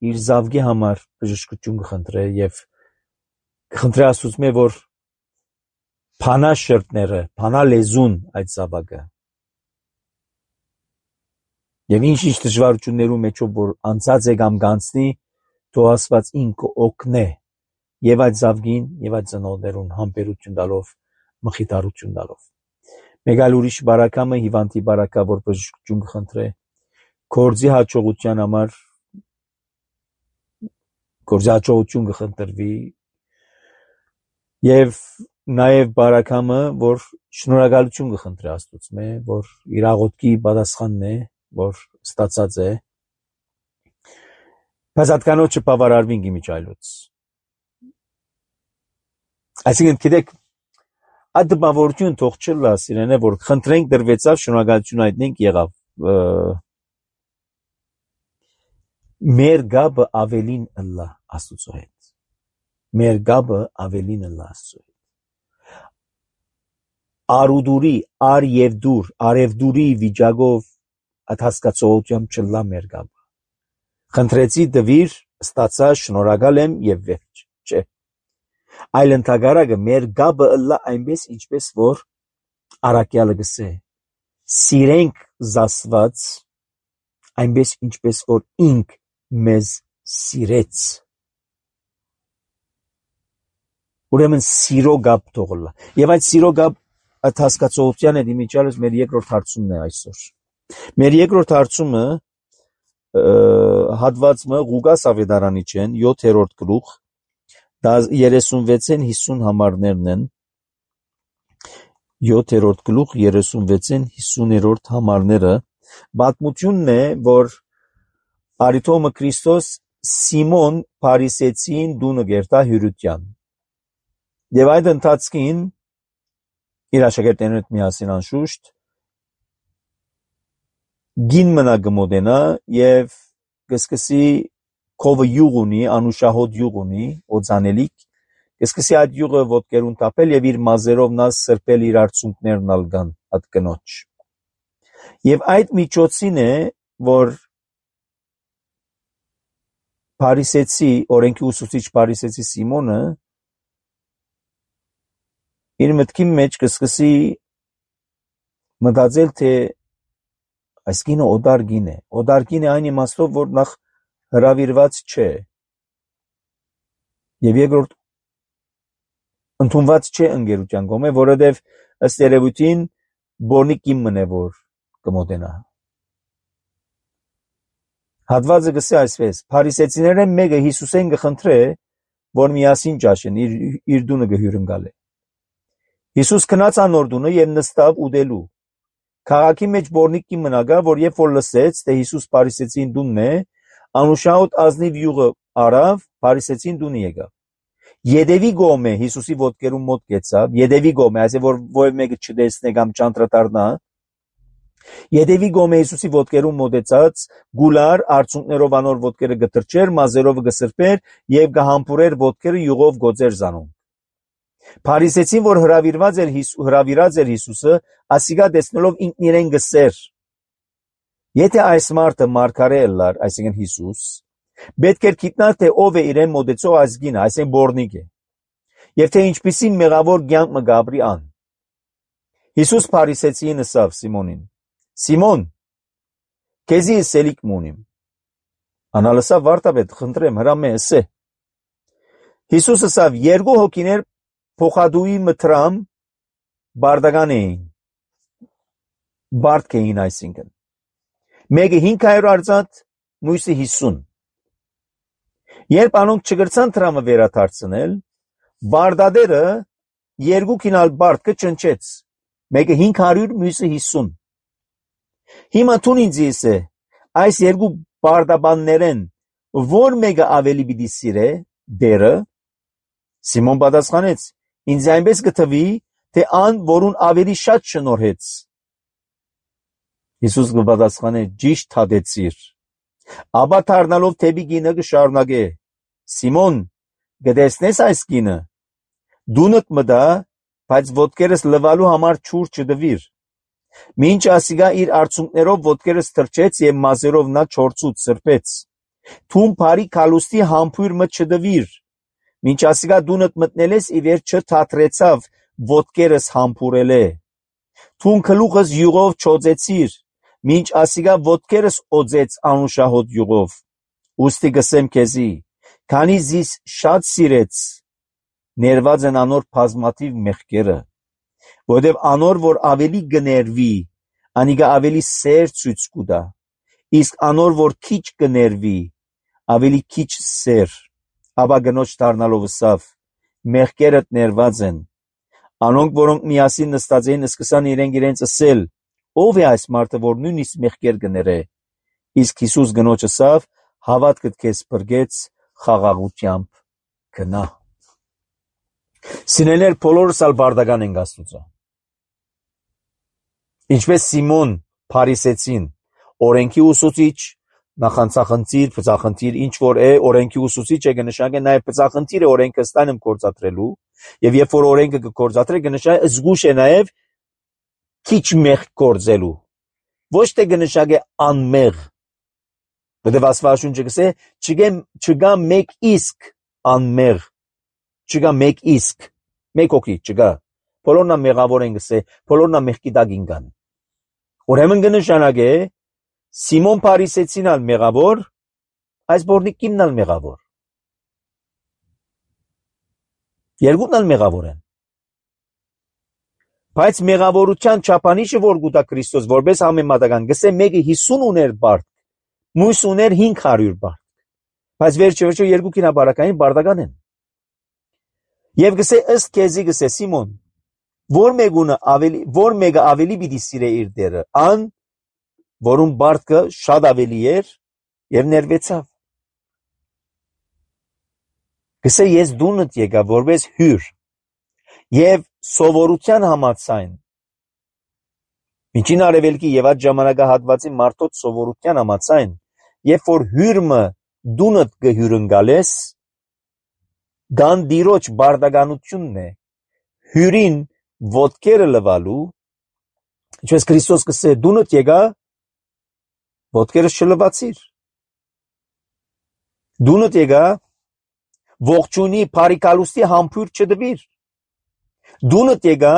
իր զավակի համար բժշկություն կխնդրե եւ կխնդրե Աստծո, որ փանա շրտները, փանա լեզուն այդ զավակը։ Եվ ինչ-ինչ դժվարություններու մեջով որ անցած է կամ կանցնի, թող Աստված ինքը օգնե եւ այդ զավակին եւ այդ ծնողներուն համբերություն տալով, մխիթարություն տալով։ Մեկ այլ ուրիշ բարակամը հիվանդի բարակա, որ բժշկություն կխնդրե, գործի հաջողության համար գործի հաջողություն կխնդրվի եւ նաեւ բարակամը, որ շնորհակալություն կխնդրի Աստծո, որ իր աղոթքի պատասխանն է, որ ստացած է, բայց հատկանոց չբավարարվին իմիջայլոց։ Այսինքն գիտեք, այդ դպավորություն թող չլա սիրենե, որ խնդրենք դրվեցավ, շնորհակալություն հայտնենք եղավ։ Մեր գաբը ավելին ըլլա Աստծո հետ։ Մեր գաբը ավելին ըլլա Աստծո հետ։ Արուդուրի, ար եւ դուր, արևդուրի վիճակով այդ հասկացողությամբ չլա մեր գաբը։ Խնդրեցի դվիր, ստացա, շնորհակալ եմ եւ վերջ, չէ։ Այլ ընդհանրակը մեր գաբը ըլլա այնպես ինչպես որ առաքյալը գսե սիրենք զասված այնպես ինչպես որ ինք մեզ սիրեց ուրեմն սիրո գաբ թողլա եւ այդ սիրո գաբ այդ հասկացողության հետ իմիջալս մեր երկրորդ հարցումն է այսօր մեր երկրորդ հարցումը հատվածը Ղուկաս ավետարանի չեն յոթերորդ գլուխ երեսունվեցն հիսուն համարներն են յոթերորդ գլուխ երեսունվեցն հիսուներորդ համարները պատմությունն է որ Արիթոմը Քրիստոս Սիմոն Փարիսեցին դունը գերտա հյուրության եւ այդ ընթացքին իր աշակերտներն հետ միասին անշուշտ գին մնա գմոդենա եւ կսկսի կովը յուղ ունի անուշահոտ յուղ ունի օծանելիք կսկսի այդ յուղը ոտքերուն տապել եւ իր մազերով նա սրբել իր արցունքներն ալգան այդ կնոջ եւ այդ միջոցին է որ Փարիսեցի օրենքի ուսուցիչ Փարիսեցի Սիմոնը իր մտքի մեջ կսկսի մտածել թե այս գինը օդար գին է օդար գին է այն իմաստով որ նախ հրավիրված չէ եւ երկրորդ ընդունված չէ ընկերության կողմէ որովհետեւ ըստ երևույթին բորնի կիմն է որ կմոտենա հատվածը գսե այսպես Փարիսեցիները մեկը Հիսուսեն գխնդրե որ միասին ճաշեն իր իր դունը գհյուրընկալ է Հիսուս քնած անոր դունը եւ նստավ ուտելու Քաղաքի մեջ բորնիկի մնագա, որ երբ որ լսեց, թե Հիսուս Փարիսեցին դունն է, անուշահոտ ազնիվ յուղը արավ, Փարիսեցին դունը եկավ։ Յետևի գոմե Հիսուսի ոտքերում մոտ գեցավ, յետևի գոմե, այսինքն որ ովը մեկը չտեսնե կամ չանդրադառնա։ Յետևի գոմե Հիսուսի ոտքերում մոտեցած, գուլար արցունքներով անոր ոտքերը գտրճեր, մազերով գսրբեր եւ գահամբուրեր ոտքերը յուղով գոծեր զանում։ Փարիսեցին, որ հրավիրված էր հրավիրած էր Հիսուսը, ասիգա տեսնելով ինքն իրեն գսեր. Եթե այս մարդը մարգարե ըլլար, այսինքն Հիսուս, պետք էր գիտնար թե ով է իրեն մոտեցող ազգին, այսինքն բորնիկ է, եւ թե ինչպիսի մեղավոր կյանք մը գաբրի ան։ Հիսուս Փարիսեցին ասավ Սիմոնին. Սիմոն, քեզի սելիկ մունիմ։ Անալսավ վարտաբեդ խնդրեմ հրամե ասե։ Հիսուս ասավ երկու հոգիներ փոխադուի մտրամ բարդական էին բարդ կեին այսինքն մեկը հինգ հարյուր արծաթ մյուսը հիսուն երբ անոնք չգրցան տրամը վերադարձնել բարդադերը երկու կինալ բարդ կճնչեց մեկը հինգ հարյուր մյուսը հիսուն հիմա տուն ինձ է այս երկու բարդաբաններեն որ մեկը ավելի պիտի սիրե դերը Սիմոն պատասխանեց Ինձ այնպես գտվի, թե ան, որուն ավելի շատ շնորհեց։ Հիսուս կպատասխանե ճիշտ հատեցիր։ Ապա դառնալով թեպի գինը կշարունակե. Սիմոն, գտեսնես այս գինը։ Դունդ մտա, բայց ոտքերս լվալու համար ջուր չդվիր։ Մինչ ասիգա իր արցունքներով ոտքերս թրջեց եւ մազերով նա չորցուց սրբեց։ Թուն բարի քալուստի համբույր մը չդվիր։ Մինչ ասիգա դունդ մտնել ես ի վերջ չթատրեցավ ոտքերս համբուրել է։ Թուն գլուխս յուղով չոծեցիր, մինչ ասիգա ոտքերս օծեց անուշահոտ յուղով։ Ուստի գսեմ քեզի, քանի զիս շատ սիրեց, ներված են անոր բազմաթիվ մեղքերը, որովհետև անոր որ ավելի գներվի, անիգա ավելի սեր ցույց կուտա, իսկ անոր որ քիչ գներվի, ավելի քիչ սեր։ Ապա գնոջ դառնալով ասավ. մեղքերդ ներված են։ Անոնք, որոնք միասին նստած էին, սկսան իրենք իրենց ասել. ով է այս մարդը, որ նույնիսկ մեղքեր կներե։ Իսկ Հիսուս գնոջ ասավ. հավատքդ քեզ բրգեց, խաղաղությամբ գնա։ Սիրելիներ, բոլորս ալ բարդական ենք Աստծո։ Ինչպես Սիմոն Փարիսեցին, օրենքի ուսուցիչ, նախանցախնդիր, բծախնդիր, ինչ որ է, օրենքի ուսուցիչ է կնշանակե նաև բծախնդիր է օրենքը ստանեմ կործատրելու, եւ երբ որ օրենքը կկործատրե կնշանակե զգուշ է նաև քիչ մեղ կործելու, ոչ թե կնշանակե անմեղ, որտեղ Աստվածաշունչը գսե չգա մեկ իսկ անմեղ չգա մեկ իսկ, մեկ օքի չգա, բոլորնա մեղավոր են գսե, բոլորնա մեղքի տակ ինգան։ Ուրեմն կնշանակե Սիմոն Փարիսեցին ալ մեղավոր, այս բորնիկին ալ մեղավոր։ Երկուսն ալ մեղավոր են։ Բայց մեղավորության չափանիշը որ գուտա Քրիստոս որպես համեմատական, գսե մեկը հիսուն ուներ բարդ, մույս ուներ հինգ հարյուր բարդ։ Բայց վերջը վերջը երկու բարակային բարդական են։ Եվ գսե ըստ քեզի գսե Սիմոն, որ մեկունը ավելի, որ մեկը ավելի պիտի սիրե իր դերը, ան, որում բարդը շատ ավելի էր եւ ներվեցավ։ Գսե ես դունդ եկա որպես հյուր եւ սովորության համաձայն միջին արևելքի եւ այդ ժամանակահատվածի մարդոց սովորության համաձայն երբ որ հյուրը դունդ կհյուրընկալես գան դիրոջ բարդականությունն է հյուրին ոտքերը լվալու ինչպես Քրիստոս կսե դունդ եկա ոտքերը չլվացիր դունդ եկա ողջունի բարիկալուստի համբույր չդվիր դունդ եկա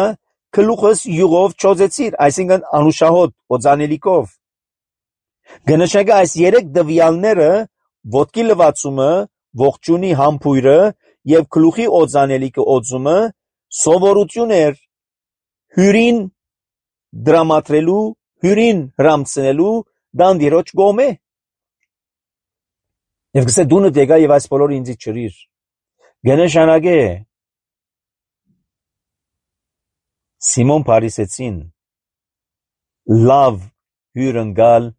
գլուխս յուղով չոզեցիր, այսինքն անուշահոտ, օծանելիքով։ Գնշակը այս երեք դվյալները ոտքի լվացումը, ողջունի համբույրը եւ գլուխի օծանելիքը օծումը սովորություն էր հյուրին դրամատրելու, հյուրին հրամցնելու դանդիրոջ գոմե։ Եվ գսե դունդ եկա եւ այս բոլորը ինձ չրիր։ Գնշանակե Սիմոն Փարիսեցին լավ հյուրընկալ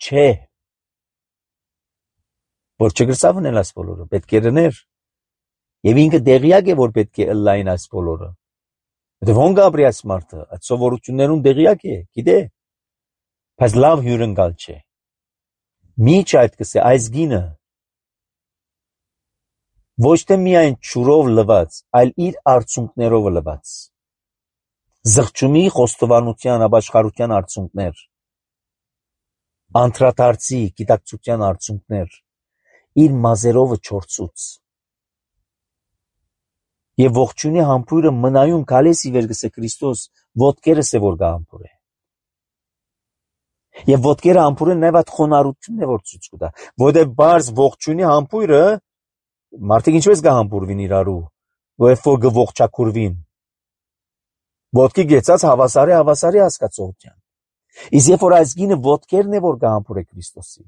չէ, որ չգրսավ ունել այս բոլորը, պետք է լներ, և ինքը դեղյակ է, որ պետք է ըլլային այս բոլորը, որտև հոն գաբրի այս մարդը, այդ սովորություններուն դեղյակ է, գիտե, բայց լավ հյուրընկալ չէ, միջ այդ կսե, այս գինը, ոչ թե միայն չուրով լված, այլ իր արցունքներով լված, զղջումի խոստովանության ապաշխարության արցունքներ, անդրադարձի գիտակցության արցունքներ, իր մազերովը չորցուց։ Եվ ողջունի համբույրը մնայուն գալես ի վեր գսե Քրիստոս ոտքերս է որ գա համբույր է։ Եվ ոտքերը համբույրը նաև այդ խոնարհությունն է որ ցույց կտա, որտեղ բարձ ողջունի համբույրը մարդիկ ինչպես գա համբուրվին իրարու, որև որ գողջակուրվին։ Ոտքի գեցած հավասարի հավասարի հասկացողության։ Իսկ երբ որ այս գինը ոտքերն է որ գա համբուրե Քրիստոսի,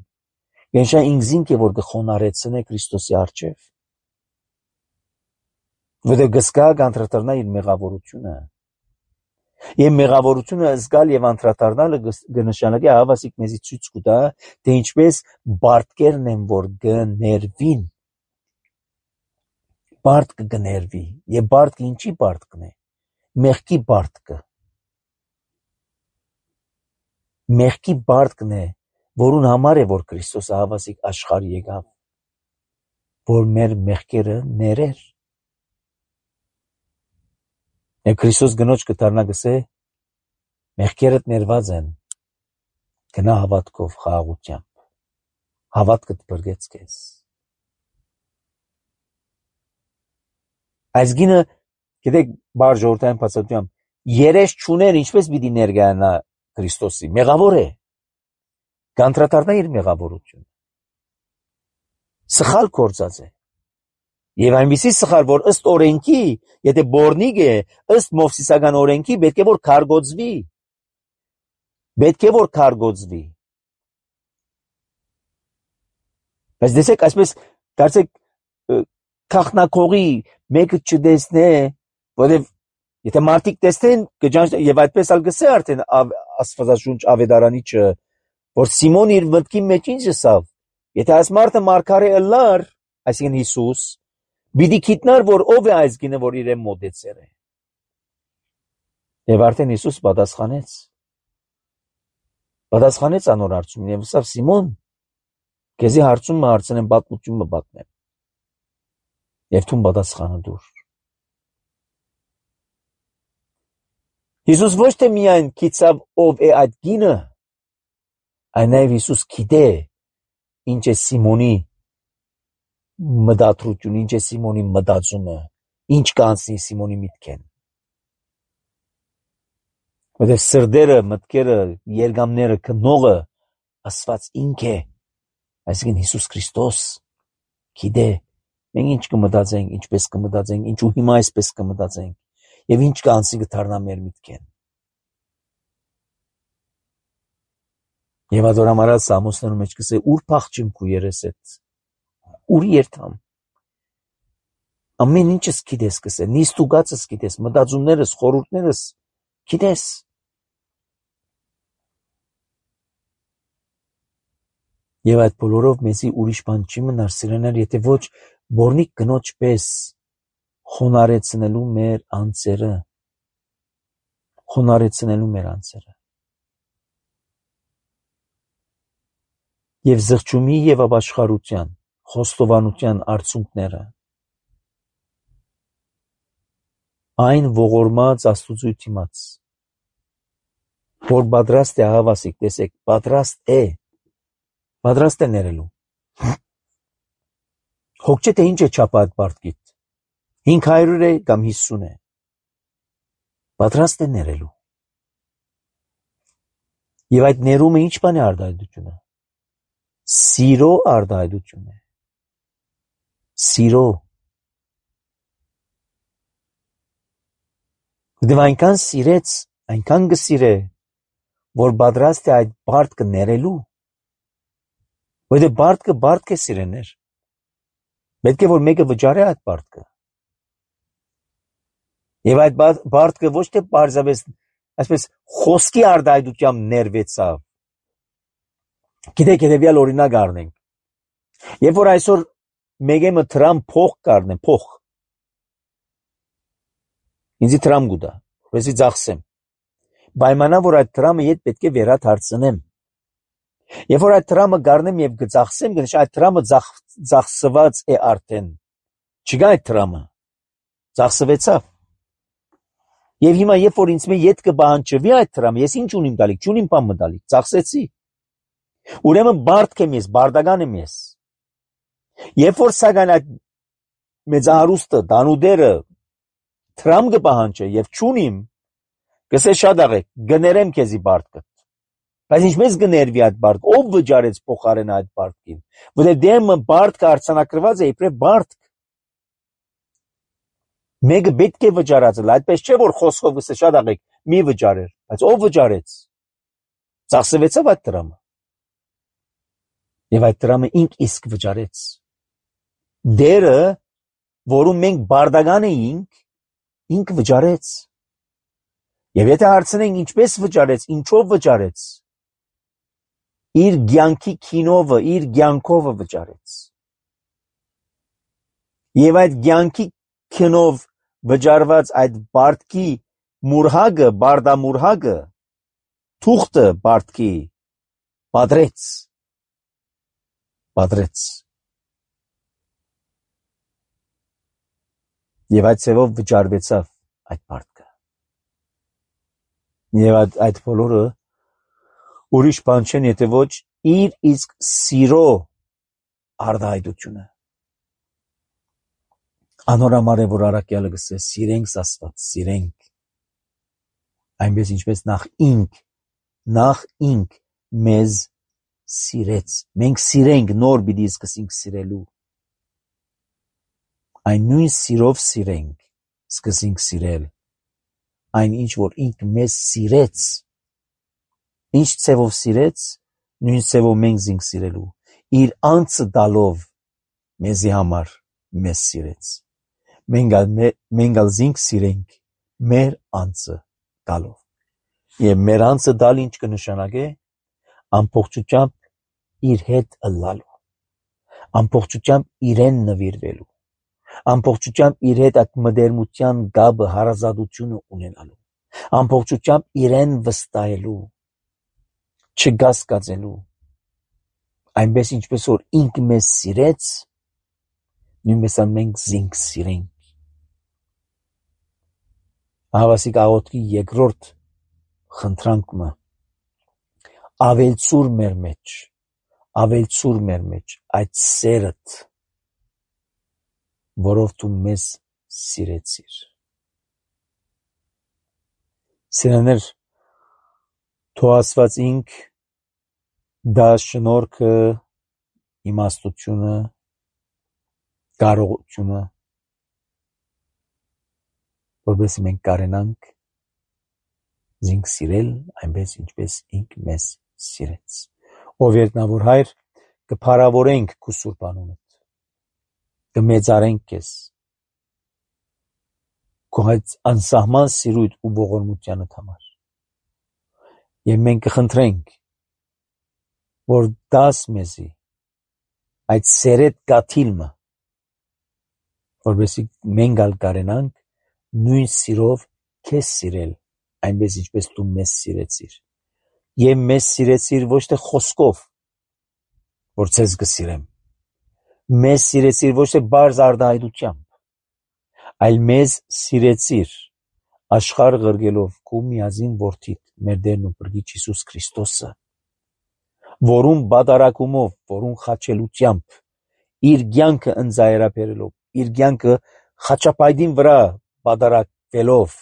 Գենշա ինքզինք է որ գխոնարեցնե Քրիստոսի առջև։ Որտեղ գսկա կանտրատարնա իր մեղավորությունը։ Եվ մեղավորությունը զգալ եւ անդրադառնալը կնշանակի հավասիկ մեզի ցույց կտա, թե ինչպես բարդկերն են որ գներվին։ Բարդ կգներվի, եւ բարդը ինչի բարդկն է։ Մեղքի բարդկը։ Մեղքի բարդկն է, որուն համար է որ Քրիստոսը հավասիկ աշխարհ եկավ, որ մեր մեղքերը ներեր։ Եվ Քրիստոս գնոջ կդառնա գսե, մեղքերդ ներված են, գնա հավատքով խաղաղությամբ, հավատքդ բրգեց քեզ։ Այս գինը, գիտեք, բար ժողովրդային բացատրությամբ, երես չուներ ինչպես պիտի ներկայանա Քրիստոսի, մեղավոր է, կանտրատարնա իր մեղավորությունը, սխալ գործած է, եւ այնպիսի սխալ, որ ըստ օրենքի, եթե բորնիկ է, ըստ մովսիսական օրենքի, պետք է որ քարգոծվի, պետք է որ քարգոծվի։ Բայց դեսեք, այսպես, դարձեք, քաղաքնակողի մեկը չտեսնե, որտեւ եթե մարդիկ տեսնեն, եւ այդպես ալ գսե արդեն Աստվածաշունչ ավետարանիչը, որ Սիմոն իր մտքի մեջ ինչ ասավ, եթե այս մարդը մարգարե ըլլար, այսինքն Հիսուս, պիտի գիտնար, որ ով է այս գինը, որ իրեն մոտեցել է։ Եվ արդեն Հիսուս պատասխանեց։ Պատասխանեց անոր հարցումին եւ ասավ Սիմոն, քեզի հարցումը հարցնեմ, պատմությունը պատմեմ։ Եվ թուն պատասխանը դուր։ Հիսուս ոչ թե միայն գիտավ ով է այդ գինը, այլ նաև Հիսուս գիտե ինչ է Սիմոնի մտադրությունը, ինչ է Սիմոնի մտածումը, ինչ կանցնի Սիմոնի միտքեն։ Որտեղ սրդերը, մտքերը, երգամները, քնողը Աստված ինք է, այսինքն Հիսուս Քրիստոս, գիտե, մենք ինչ կմտածենք, ինչպես կմտածենք, ինչու հիմա այսպես կմտածենք, եւ ինչ կանցնի կդառնա մեր միտքեն։ Եվ adoramarat Սամոսներում մեջ կսե ուր փախչիմ քու երեսետ, ուր երթամ։ Ամեն ինչս գիտես կսե, նիստուգածս գիտես, մտածումներս, խորհուրդներս գիտես։ Եվ այդ բոլորով մեզի ուրիշ բան չի մնար սիրեներ, եթե ոչ բորնիկ կնոջ պես խոնարեցնելու մեր անձերը, խոնարեցնելու մեր անձերը։ Եվ զղջումի եւ ապաշխարության, խոստովանության արդյունքները, այն ողորմած Աստուծո դիմաց, որ պատրաստ է հավասիկ, տեսեք, պատրաստ է, պատրաստ է ներելու։ Հոգ չէ թե ինչ է չափա այդ պարտքիդ, հինգ հարյուր է կամ հիսուն է, պատրաստ է ներելու։ Եվ այդ ներումը ինչ բան է արտահայտությունը։ Սիրո արտահայտություն է։ Սիրո։ Դե այնքան սիրեց, այնքան կսիրե, որ պատրաստ է այդ բարտքը ներելու։ Որտե բարտքը բարտք է սիրեներ։ Պետք է որ մեկը վճարի այդ բարտքը։ Եվ այդ բարտքը ոչ թե պարզապես այսպես խոսքի արտահայտությամբ ներվեցավ։ Գիտեք, հետևյալ օրինակ առնենք։ Երբ որ այսօր մեկը դրամ փող կառնեմ, փող։ Ինձի դրամ գուտա, որպեսզի ծախսեմ։ Պայմանա որ այդ դրամը իդ պետք է վերադարձնեմ։ Երբ որ այդ դրամը կառնեմ եւ կծախսեմ, գնաց այդ դրամը ծախսված է արդեն։ Չկա այդ դրամը։ Ծախսվեցավ։ Եվ հիմա երբ որ ինձ մե իդ կբանջվի այդ դրամը, ես ինչ ունիմ տալիք, չունիմ բան մտալիք, ծախսեցի։ Ուրեմն բարդք եմ ես, բարդական եմ ես։ Երբ որ սակայն այդ մեծահարուստը, դանուդերը դրամ կպահանջը եւ չունիմ, կսե շատ աղեք, գներեմ քեզի բարդկը։ Բայց ինչպես գներվի այդ բարդը, ով վճարեց փոխարեն այդ բարդքին, որտեղ դեմը բարդքը արցանակրված է իբրև բարդք։ Մեկը պետք է վճարածել, այդպես չէ որ խոսքով կսե շատ աղեք, մի վճարեր, բայց ով վճարեց։ Ծախսվեցավ այդ դրամը։ Եվ այդ դրամը ինք իսկ վճարեց։ Դերը, որում մենք բարդական էինք, ինք վճարեց։ Եվ եթե հարցնենք ինչպես վճարեց, ինչով վճարեց, իր կյանքի քինովը, իր կյանքովը վճարեց։ Եվ այդ կյանքի քինով վճարված այդ բարդքի մուրհագը, բարդամուրհագը, թուղթը բարդքի պատրեց։ Պատրեց։ Եվ այդ ծևով վճարվեցավ այդ բարդքը։ Եվ այդ, այդ բոլորը ուրիշ բան չեն, եթե ոչ իր իսկ սիրո արտահայտությունը։ Անորամար է, որ առաքյալը գսե սիրենք Աստված, սիրենք։ Այնպես ինչպես նախ ինք, նախ ինք մեզ սիրեց։ Մենք սիրենք, նոր պիտի սկսենք սիրելու։ Այն նույն սիրով սիրենք, սկսենք սիրել։ Այն ինչ որ ինք մեզ սիրեց, ինչ ծևով սիրեց, նույն ծևով մենք զինք սիրելու։ Իր անձը տալով մեզի համար մեզ սիրեց։ Մենք ալ զինք սիրենք մեր անձը տալով։ Եվ մեր անձը տալ ինչ կնշանակե, ամբողջությամբ իր հետ ըլլալու, ամբողջությամբ իրեն նվիրվելու, ամբողջությամբ իր հետ այդ մտերմության գաբը, հարազատությունը ունենալու, ամբողջությամբ իրեն վստահելու, չգասկածելու, այնպես ինչպես որ ինք մեզ սիրեց, նույնպես մենք զինք սիրենք։ Հավասիկ աղոթքի երկրորդ խնդրանքը ավելցուր մեր մեջ, ավելցուր մեր մեջ այդ սերդ, որով դու մեզ սիրեցիր։ Սիրելիներ, թող Աստված ինք դա շնորհքը, իմաստությունը, կարողությունը, որովհետեւ մենք կարենանք զինք սիրել, այնպես ինչպես ինք մեզ սիրեց։ Ով երկնավոր Հայր, կփառավորենք քո սուրբ անունդ, կմեծարենք քեզ, քո այդ անսահման սիրույթ ու ողորմությանդ համար։ Եվ մենք կխնդրենք, որ դաս մեզի այդ սերետ գաթիլը, որովհետեւ մենք ալ կարենանք նույն սիրով քեզ սիրել, այնպես ինչպես դու մեզ սիրեցիր։ Եվ մեզ սիրեցիր ոչ թե խոսքով, որ ցեզ կսիրեմ, մեզ սիրեցիր ոչ թե բարձ արտահայտությամբ, այլ մեզ սիրեցիր աշխարհ ղրգելով քո միածին որդիդ, մեր Տերն ու Փրկիչ Հիսուս Քրիստոսը, որուն բادرակումով, որուն խաչելությամբ, իր կյանքը ընծայրաբերելով, իր կյանքը խաչապայտին վրա բادرակվելով,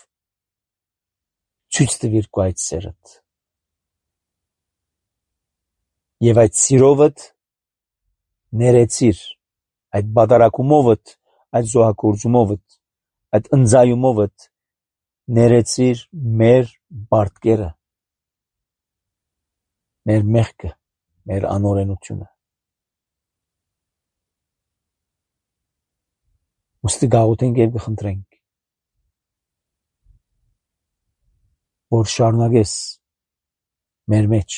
ցույց տվիր քո այդ սերդ։ Եվ այդ սիրովդ ներեցիր, այդ բادرակումովդ, այդ զոհակորձումովդ, այդ ընծայումովդ ներեցիր մեր բարդկերը, մեր մեղքը, մեր անօրենությունը։ Ուստի գաղութենք և կխնդրենք, որ շարունակես մեր մեջ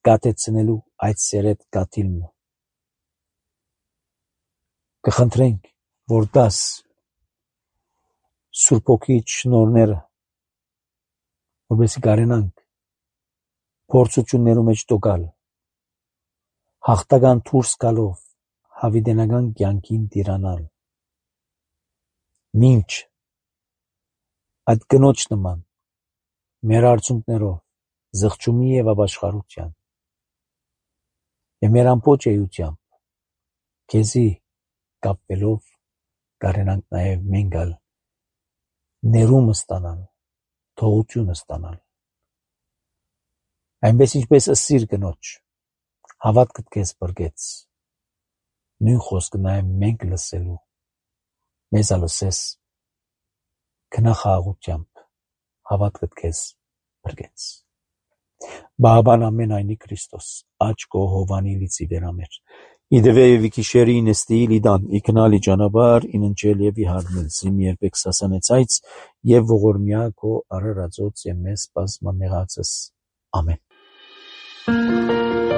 կատեցնելու այդ սերետ գաթիլը։ Կխնդրենք, որ դաս Սուրբ Հոգիից շնորհները, որովհետեւ կարենանք փորձություններու մեջ տոկալ, հաղթական դուրս գալով հավիտենական կյանքին տիրանալ, մինչ այդ կնոջ նման մեր արցունքներով զղջումի եւ ապաշխարության եւ մեր ամբողջ էությամբ քեզի կապվելով կարենանք նաեւ մենք ալ ներումը ստանալ, թողությունը ստանալ, այնպես ինչպես ասիր կնոջ, հավատքդ քեզ բրգեց, նույն խոսքը նաեւ մենք լսելու, մեզ ալսես քնախաղությամբ, հավատքդ քեզ բրգեց։ Բաբան ամենայնի Քրիստոս, աչքո հովանի լիցի վերամեր, իդվե եւ իքիշերի նստիլ իդան, իքնալի ճանապար, ինընչել եւ իհարմել, զիմ երբեք սասանեցայց եւ ողորմյա քո արարածոց եւ մեզ բազմամեղացս։ Ամեն։